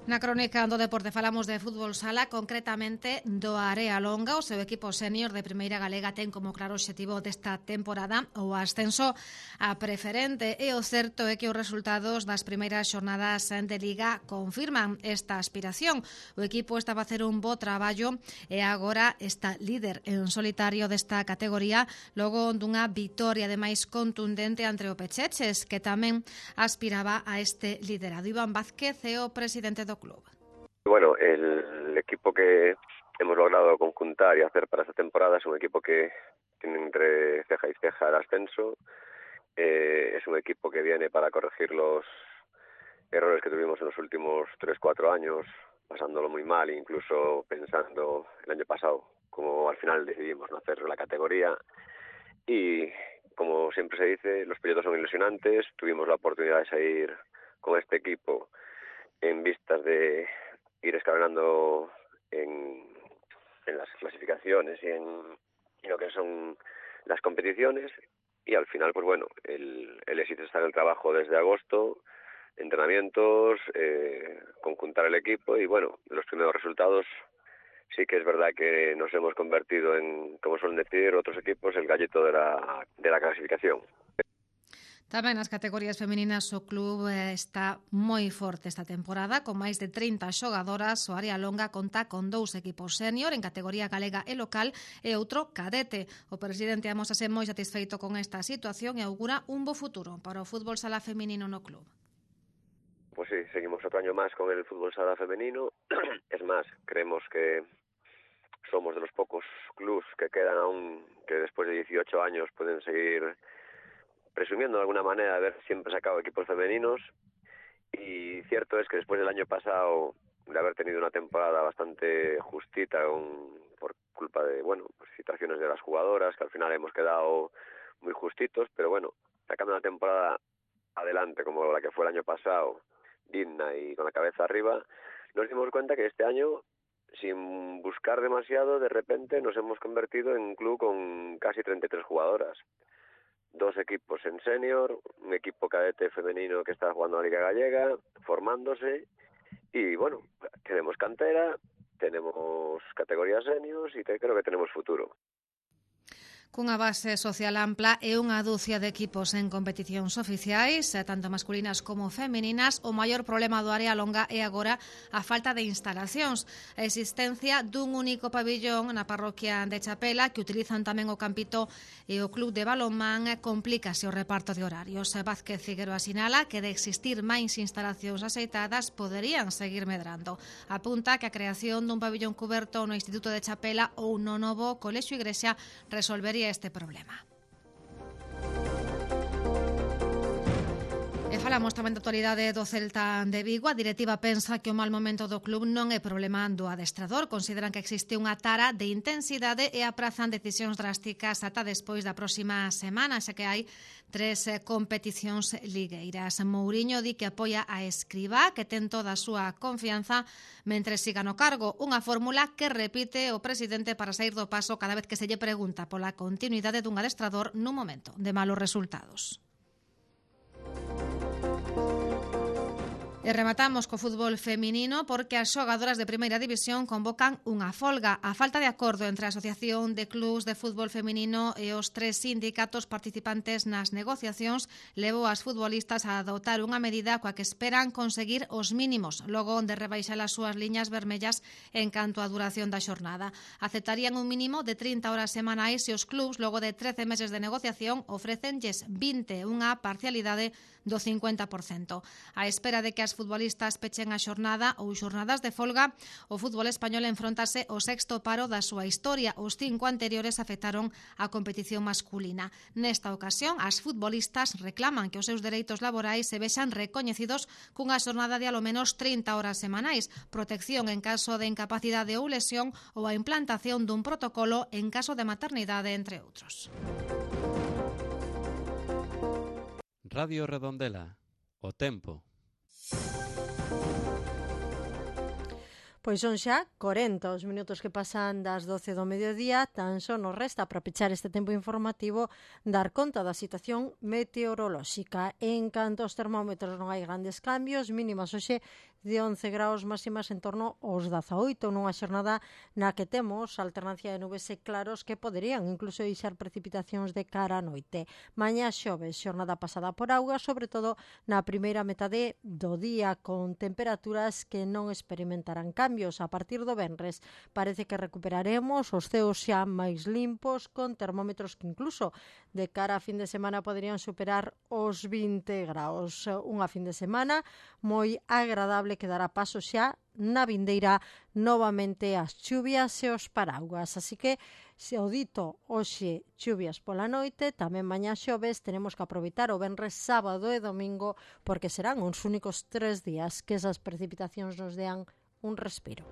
Na crónica do deporte falamos de fútbol sala, concretamente do Area Longa. O seu equipo sénior de Primeira Galega ten como claro obxectivo desta temporada o ascenso a preferente, e o certo é que os resultados das primeiras xornadas de Liga confirman esta aspiración. O equipo estaba a hacer un bo traballo e agora está líder en solitario desta categoría logo dunha vitoria ademais contundente ante o Pecheches, que tamén aspiraba a este liderado. Iván Vázquez é o presidente do club. Bueno, el equipo que hemos logrado conjuntar y hacer para esta temporada es un equipo que tiene entre ceja y ceja el ascenso. Es un equipo que viene para corregir los errores que tuvimos en los últimos 3-4 años, pasándolo muy mal, incluso pensando el año pasado, como al final decidimos no hacer la categoría. Y como siempre se dice, los proyectos son ilusionantes. Tuvimos la oportunidad de salir con este equipo en vistas de ir escalonando en las clasificaciones y en lo que son las competiciones, y al final, pues bueno, el éxito está en el trabajo desde agosto, entrenamientos, conjuntar el equipo, y bueno, los primeros resultados sí que es verdad que nos hemos convertido en, como suelen decir otros equipos, el gallito de la clasificación. Tamén nas categorías femininas o club está moi forte esta temporada, con máis de 30 xogadoras. O Area Longa conta con 2 equipos sénior en categoría galega e local e outro cadete. O presidente amósase moi satisfeito con esta situación e augura un bo futuro para o fútbol sala feminino no club. Pues sí, seguimos otro año más con el fútbol sala femenino. Es más, creemos que somos de los pocos clubs que quedan aún, que después de 18 años pueden seguir presumiendo de alguna manera de haber siempre sacado equipos femeninos. Y cierto es que después del año pasado de haber tenido una temporada bastante justita por culpa de, bueno, pues situaciones de las jugadoras, que al final hemos quedado muy justitos, pero bueno, sacando una temporada adelante como la que fue el año pasado, digna y con la cabeza arriba, nos dimos cuenta que este año, sin buscar demasiado, de repente nos hemos convertido en un club con casi 33 jugadoras. 2 equipos en senior, un equipo cadete femenino que está jugando a la Liga Gallega, formándose, y bueno, tenemos cantera, tenemos categorías seniors y creo que tenemos futuro. Cunha base social ampla e unha dúcia de equipos en competicións oficiais, tanto masculinas como femininas, o maior problema do Area Longa é agora a falta de instalacións. A existencia dun único pabillón na parroquia de Chapela, que utilizan tamén o Campito e o club de balonmán, complícase o reparto de horarios. Vázquez Figueroa sinala que de existir máis instalacións aceitadas poderían seguir medrando. Apunta que a creación dun pabillón cuberto no Instituto de Chapela ou no novo Colexio Igrexa resolvería este problema. E falamos tamén da actualidade do Celta de Vigo. A directiva pensa que o mal momento do club non é problema do adestrador. Consideran que existe unha tara de intensidade e aprazan decisións drásticas ata despois da próxima semana, xa que hai 3 competicións ligueiras. Mouriño di que apoia a Escribá, que ten toda a súa confianza mentre siga no cargo. Unha fórmula que repite o presidente para sair do paso cada vez que se lle pregunta pola continuidade dun adestrador nun momento de malos resultados. E rematamos co fútbol feminino porque as xogadoras de primeira división convocan unha folga. A falta de acordo entre a Asociación de Clubs de Fútbol Feminino e os 3 sindicatos participantes nas negociacións levou as futbolistas a adoptar unha medida coa que esperan conseguir os mínimos logo de rebaixar as súas liñas vermellas en canto á duración da xornada. Aceptarían un mínimo de 30 horas semanais e os clubs, logo de 13 meses de negociación, ofrécenlles 20, unha parcialidade do 50%. A espera de que as futbolistas pechen a xornada ou xornadas de folga, o fútbol español enfrontase ao 6º paro da súa historia. Os 5 anteriores afectaron a competición masculina. Nesta ocasión, as futbolistas reclaman que os seus dereitos laborais se vexan recoñecidos cunha xornada de alo menos 30 horas semanais, protección en caso de incapacidade ou lesión ou a implantación dun protocolo en caso de maternidade, entre outros. Radio Redondela, o tempo. Pois son xa 40 os minutos que pasan das 12 do mediodía. Tan só nos resta para pechar este tempo informativo dar conta da situación meteorolóxica. En canto aos termómetros non hai grandes cambios, mínimas hoxe de 11 graus, máximas en torno aos 18, nunha xornada na que temos alternancia de nubes e claros que poderían incluso deixar precipitacións de cara a noite. Mañá xoves, xornada pasada por auga, sobre todo na primeira metade do día, con temperaturas que non experimentarán cambios. A partir do venres parece que recuperaremos os ceos xa máis limpos, con termómetros que incluso de cara a fin de semana poderían superar os 20 graus. Unha fin de semana moi agradable que dará paso xa na vindeira novamente as chuvias e os paraugas. Así que, se o dito hoxe chuvias pola noite, tamén mañá xoves tenemos que aproveitar o venres, sábado e domingo, porque serán uns únicos 3 días que esas precipitacións nos dean un respiro.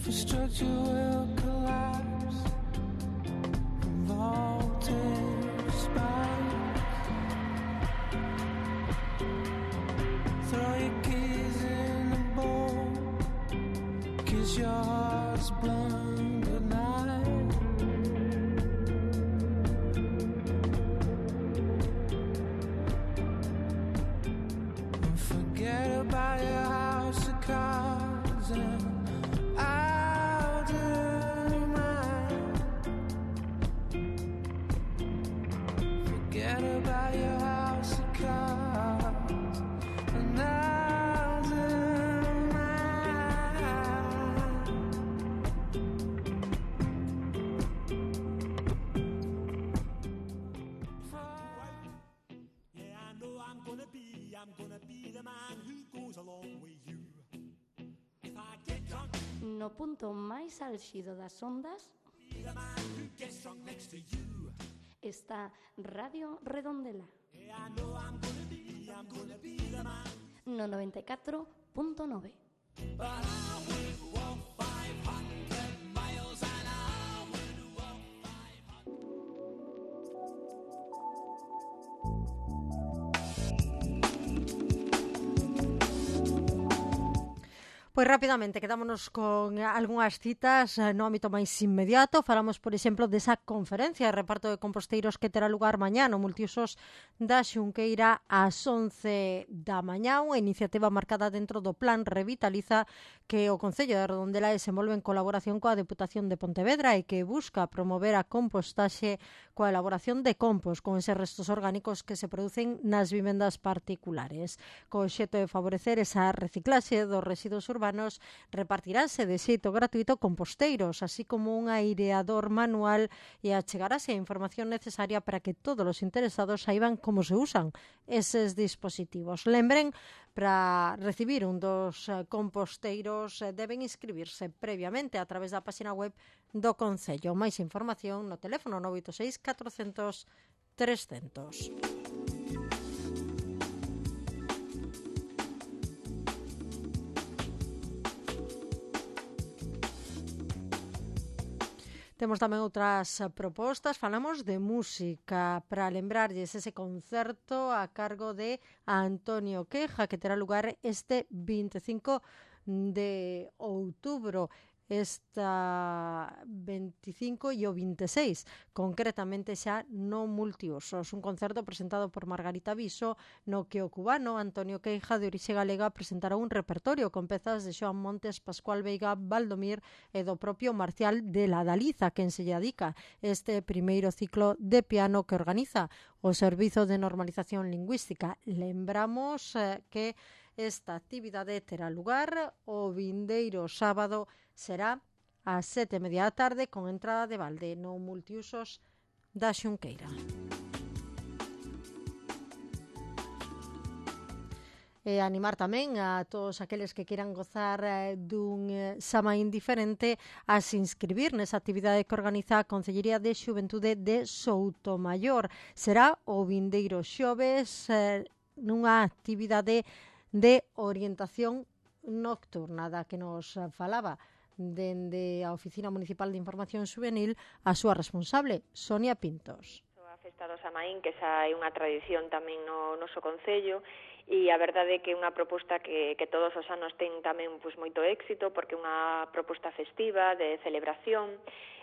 Infrastructure will collapse, voltage spikes. Throw your keys in the bowl, kiss your heart's blown goodnight. And forget about your house of cards and no punto máis álxido das ondas está Radio Redondela no 94.9. Pois rapidamente, quedámonos con algunhas citas no ámbito máis inmediato. Falamos, por exemplo, desa conferencia de reparto de composteiros que terá lugar mañá no multiusos da Xunqueira ás 11 da mañá, unha iniciativa marcada dentro do Plan Revitaliza que o Concello de Redondela desenvolve en colaboración coa Deputación de Pontevedra e que busca promover a compostaxe coa elaboración de compost con eses restos orgánicos que se producen nas vivendas particulares. Co obxecto de favorecer esa reciclaxe dos residuos urbanos, repartiránse de xeito gratuito composteiros, así como un aireador manual e achegarase a información necesaria para que todos os interesados saiban como se usan eses dispositivos. Lembren, para recibir un dos composteiros deben inscribirse previamente a través da página web do Concello. Máis información no teléfono 986 400 300. Temos tamén outras propostas, falamos de música, para lembrarlles ese concerto a cargo de Antonio Queja, que terá lugar este 25 de outubro. Esta 25 e o 26, concretamente xa no multiusos. Un concerto presentado por Margarita Viso, no que o cubano Antonio Queija, de orixe galega, presentará un repertorio con pezas de Xoan Montes, Pascual Veiga, Valdomir e do propio Marcial de la Daliza, quen se lle dedica este primeiro ciclo de piano que organiza o Servizo de Normalización Lingüística. Lembramos que esta actividade terá lugar o vindeiro sábado, será ás 7:30 da tarde con entrada de balde no multiusos da Xunqueira. E animar tamén a todos aqueles que queiran gozar dun Samaín diferente a se inscribir nesa actividade que organiza a Concellería de Xuventude de Soutomaior. Será o vindeiro xoves nunha actividade de orientación nocturna da que nos falaba dende a Oficina Municipal de Información Juvenil a súa responsable, Sonia Pintos. A Festa do Samaín, que xa é unha tradición tamén no noso concello, e a verdade é que é unha proposta que todos os anos ten tamén moito éxito, porque é unha proposta festiva, de celebración.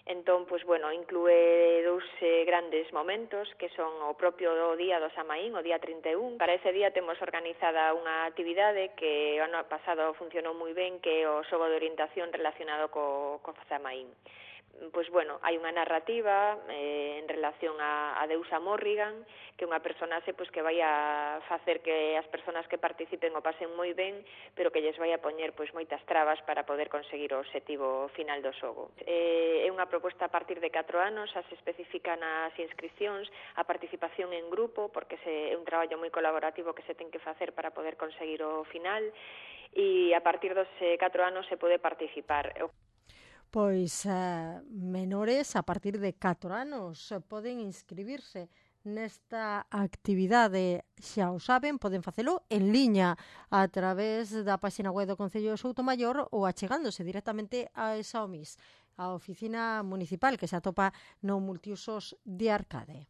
Entón, inclúe dous grandes momentos, que son o propio día do Samaín, o día 31. Para ese día temos organizada unha actividade que o ano pasado funcionou moi ben, que é o xogo de orientación relacionado co Samaín. Hai unha narrativa en relación a deusa Morrigan, que é unha personaxe que vai a facer que as persoas que participen o pasen moi ben, pero que lles vai a poñer moitas trabas para poder conseguir o obxectivo final do xogo. É unha proposta a partir de 4 anos, xa se especifica nas inscripcións a participación en grupo, porque é un traballo moi colaborativo que se ten que facer para poder conseguir o final, e a partir dos 4 anos se pode participar. Pois menores a partir de 4 anos poden inscribirse nesta actividade, xa o saben, poden facelo en liña a través da página web do Concello de Soutomaior ou achegándose directamente a esa OMIS, a Oficina Municipal que se atopa no multiusos de Arcade.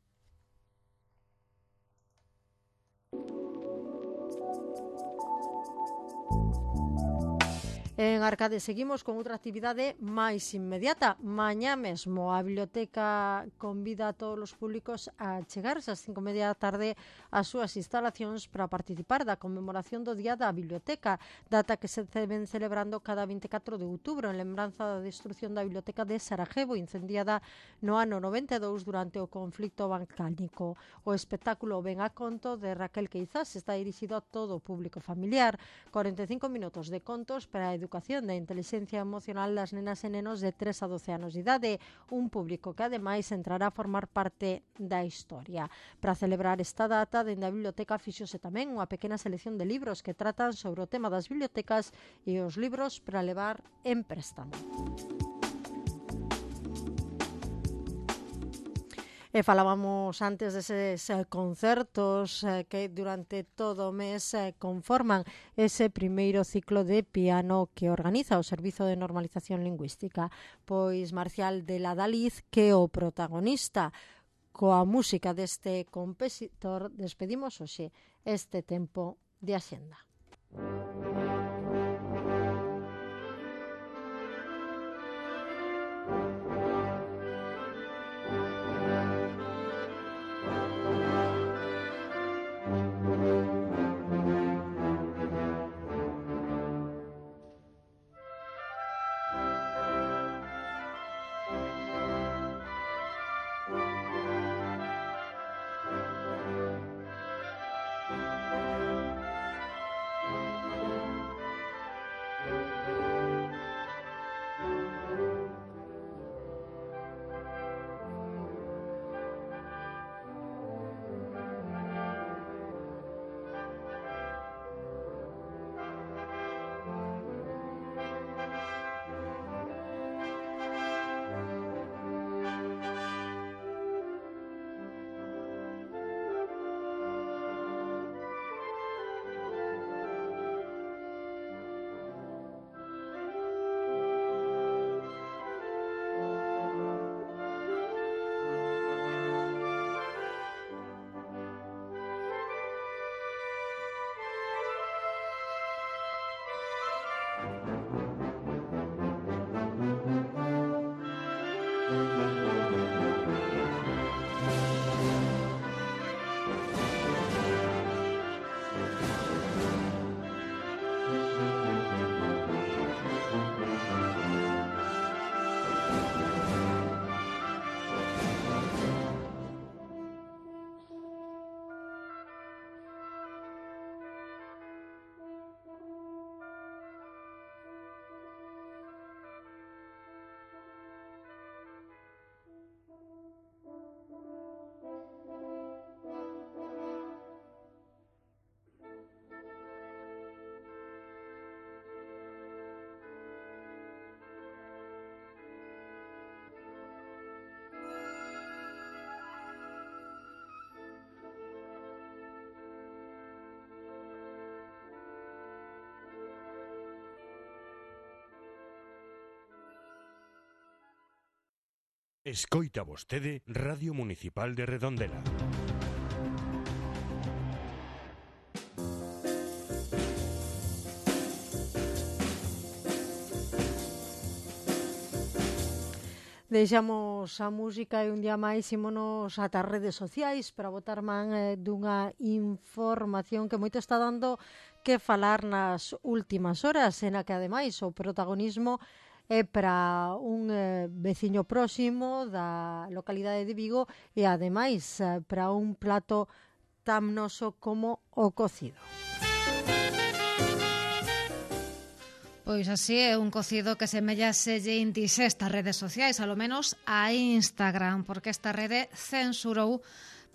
En Arcade seguimos con outra actividade máis inmediata. Mañá mesmo a biblioteca convida a todos os públicos a chegarse ás 5:30 da tarde ás súas instalacións para participar da conmemoración do Día da Biblioteca, data que se ven celebrando cada 24 de outubro en lembranza da destrucción da biblioteca de Sarajevo, incendiada no ano 92 durante o conflito balcánico. O espectáculo ven a conto de Raquel Queizás está dirixido a todo o público familiar. 45 minutos de contos para a educación da inteligencia emocional das nenas e nenos de 3 a 12 anos de idade, un público que ademais entrará a formar parte da historia. Para celebrar esta data, dende a biblioteca fixose tamén unha pequena selección de libros que tratan sobre o tema das bibliotecas e os libros para levar en préstamo. E falábamos antes deses concertos que durante todo o mes conforman ese primeiro ciclo de piano que organiza o Servizo de Normalización Lingüística. Pois Marcial de la Daliz, que é o protagonista. Coa música deste compositor despedimos hoxe este tempo de Axenda. Escoita vostede Radio Municipal de Redondela. Deixamos a música e un día máis ímonos ata as redes sociais para botar man dunha información que moito está dando que falar nas últimas horas, en a que ademais o protagonismo é para un veciño próximo da localidade de Vigo e ademais para un plato tan noso como o cocido. Pois así é un cocido que semella selle indixesta redes sociais, alo menos a Instagram, porque esta rede censurou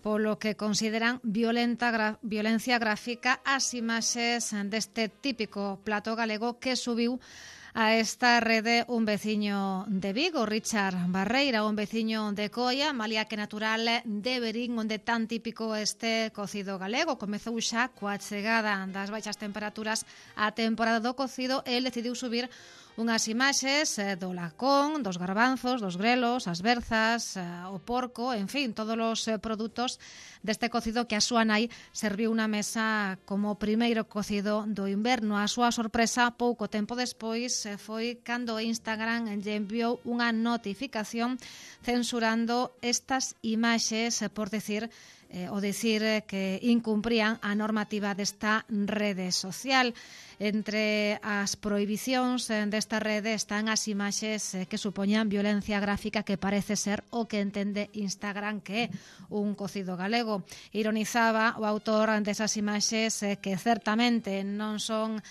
polo que consideran violencia gráfica as imaxes deste típico plato galego que subiu a esta rede un veciño de Vigo, Richard Barreira, un veciño de Coia, malia que natural de Verín, onde tan típico este cocido galego. Comezou xa coa chegada das baixas temperaturas a temporada do cocido, el decidiu subir unhas imaxes do lacón, dos garbanzos, dos grelos, as berzas, o porco, en fin, todos os produtos deste cocido que a súa nai serviu na mesa como primeiro cocido do inverno. A súa sorpresa, pouco tempo despois, foi cando Instagram lle enviou unha notificación censurando estas imaxes por dicir que incumprían a normativa desta rede social. Entre as prohibicións desta rede están as imaxes que supoñan violencia gráfica, que parece ser o que entende Instagram que é un cocido galego. Ironizaba o autor desas imaxes que certamente non son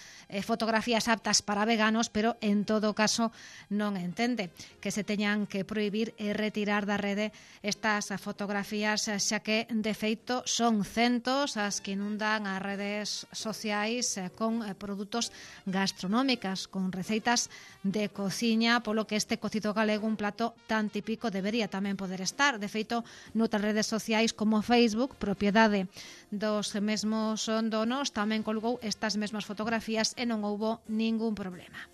fotografías aptas para veganos, pero en todo caso non entende que se teñan que prohibir e retirar da rede estas fotografías, xa que de feito son centos as que inundan as redes sociais con produtos gastronómicas, con receitas de cociña, polo que este cocido galego, un plato tan típico, debería tamén poder estar. De feito, noutras redes sociais como Facebook, propiedade dos mesmos donos, tamén colgou estas mesmas fotografías e non houbo ningún problema.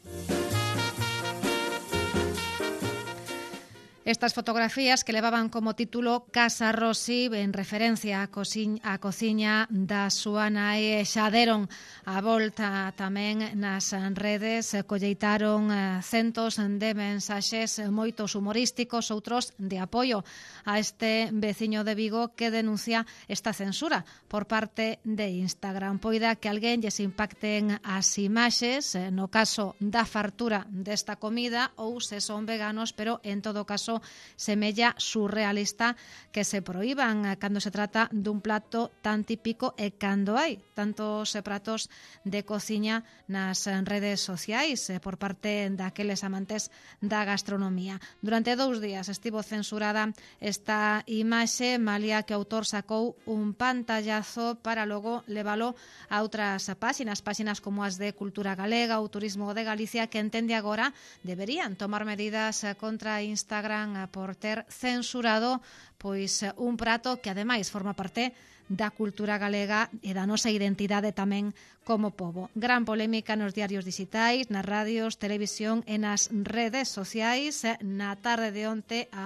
Estas fotografías, que levaban como título Casa Rossi, en referencia á cociña da súa nai, xa deron a volta tamén nas redes, colleitaron centos de mensaxes, moitos humorísticos, outros de apoio a este veciño de Vigo que denuncia esta censura por parte de Instagram. Poida que alguén lles impacten as imaxes, no caso da fartura desta comida, ou se son veganos, pero en todo caso semella surrealista que se proíban cando se trata dun plato tan típico e cando hai tantos pratos de cociña nas redes sociais por parte daqueles amantes da gastronomía. Durante 2 días estivo censurada esta imaxe, malia que o autor sacou un pantallazo para logo levalo a outras páxinas como as de Cultura Galega ou Turismo de Galicia, que entende agora deberían tomar medidas contra Instagram por ter censurado pois un prato que ademais forma parte da cultura galega e da nosa identidade tamén como pobo. Gran polémica nos diarios digitais, nas radios, televisión e nas redes sociais. Na tarde de onte a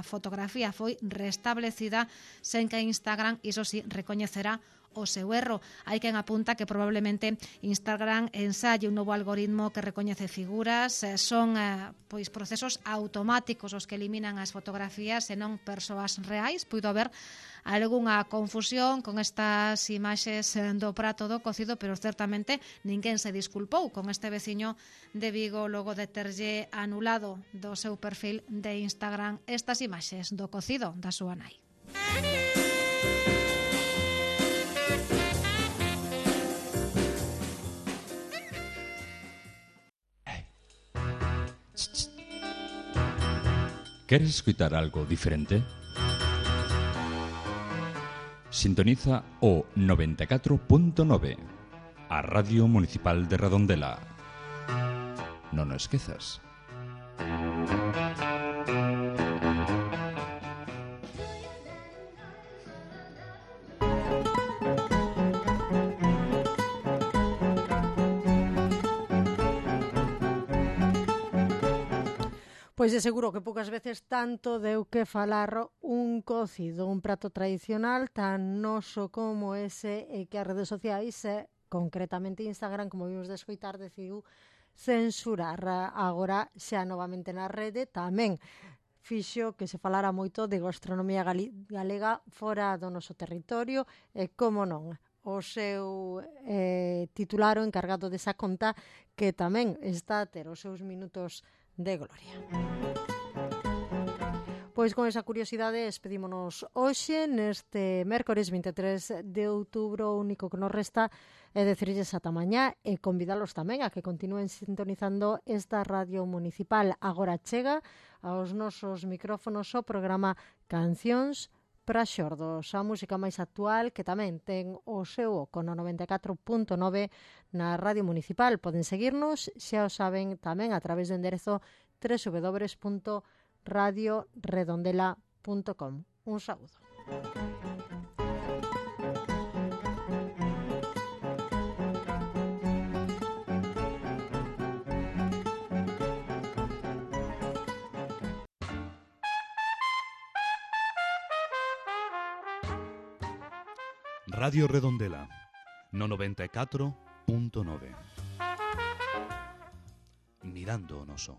fotografía foi restablecida sen que Instagram, iso sí, recoñecerá o seu erro. Hai quen apunta que probablemente Instagram ensalle un novo algoritmo que recoñece figuras, son pois procesos automáticos os que eliminan as fotografías e non persoas reais. Puido haber algunha confusión con estas imaxes do prato do cocido, pero certamente ninguén se disculpou con este veciño de Vigo logo de terlle anulado do seu perfil de Instagram estas imaxes do cocido da súa nai. ¿Queres escuchar algo diferente? Sintoniza o 94.9, a Radio Municipal de Redondela. Non o esquezas. Pois é seguro que poucas veces tanto deu que falar un cocido, un prato tradicional tan noso como ese e que as redes sociais, concretamente Instagram, como vimos de escoitar, decidiu censurar. Agora xa novamente na rede tamén fixo que se falara moito de gastronomía galega fora do noso territorio e, como non, o seu titular, o encargado desa conta, que tamén está a ter os seus minutos de gloria. Pois con esa curiosidade despedímonos hoxe neste mércores 23 de outubro. O único que nos resta é decirlles ata mañá e convidalos tamén a que continúen sintonizando esta radio municipal. Agora chega aos nosos micrófonos o programa Cancións para xordos, a música máis actual que tamén ten o seu oco no 94.9 na Radio Municipal. Poden seguirnos, xa o saben, tamén a través do enderezo www.radioredondela.com. Un saúdo. Radio Redondela, no 94.9. Mirando o noso.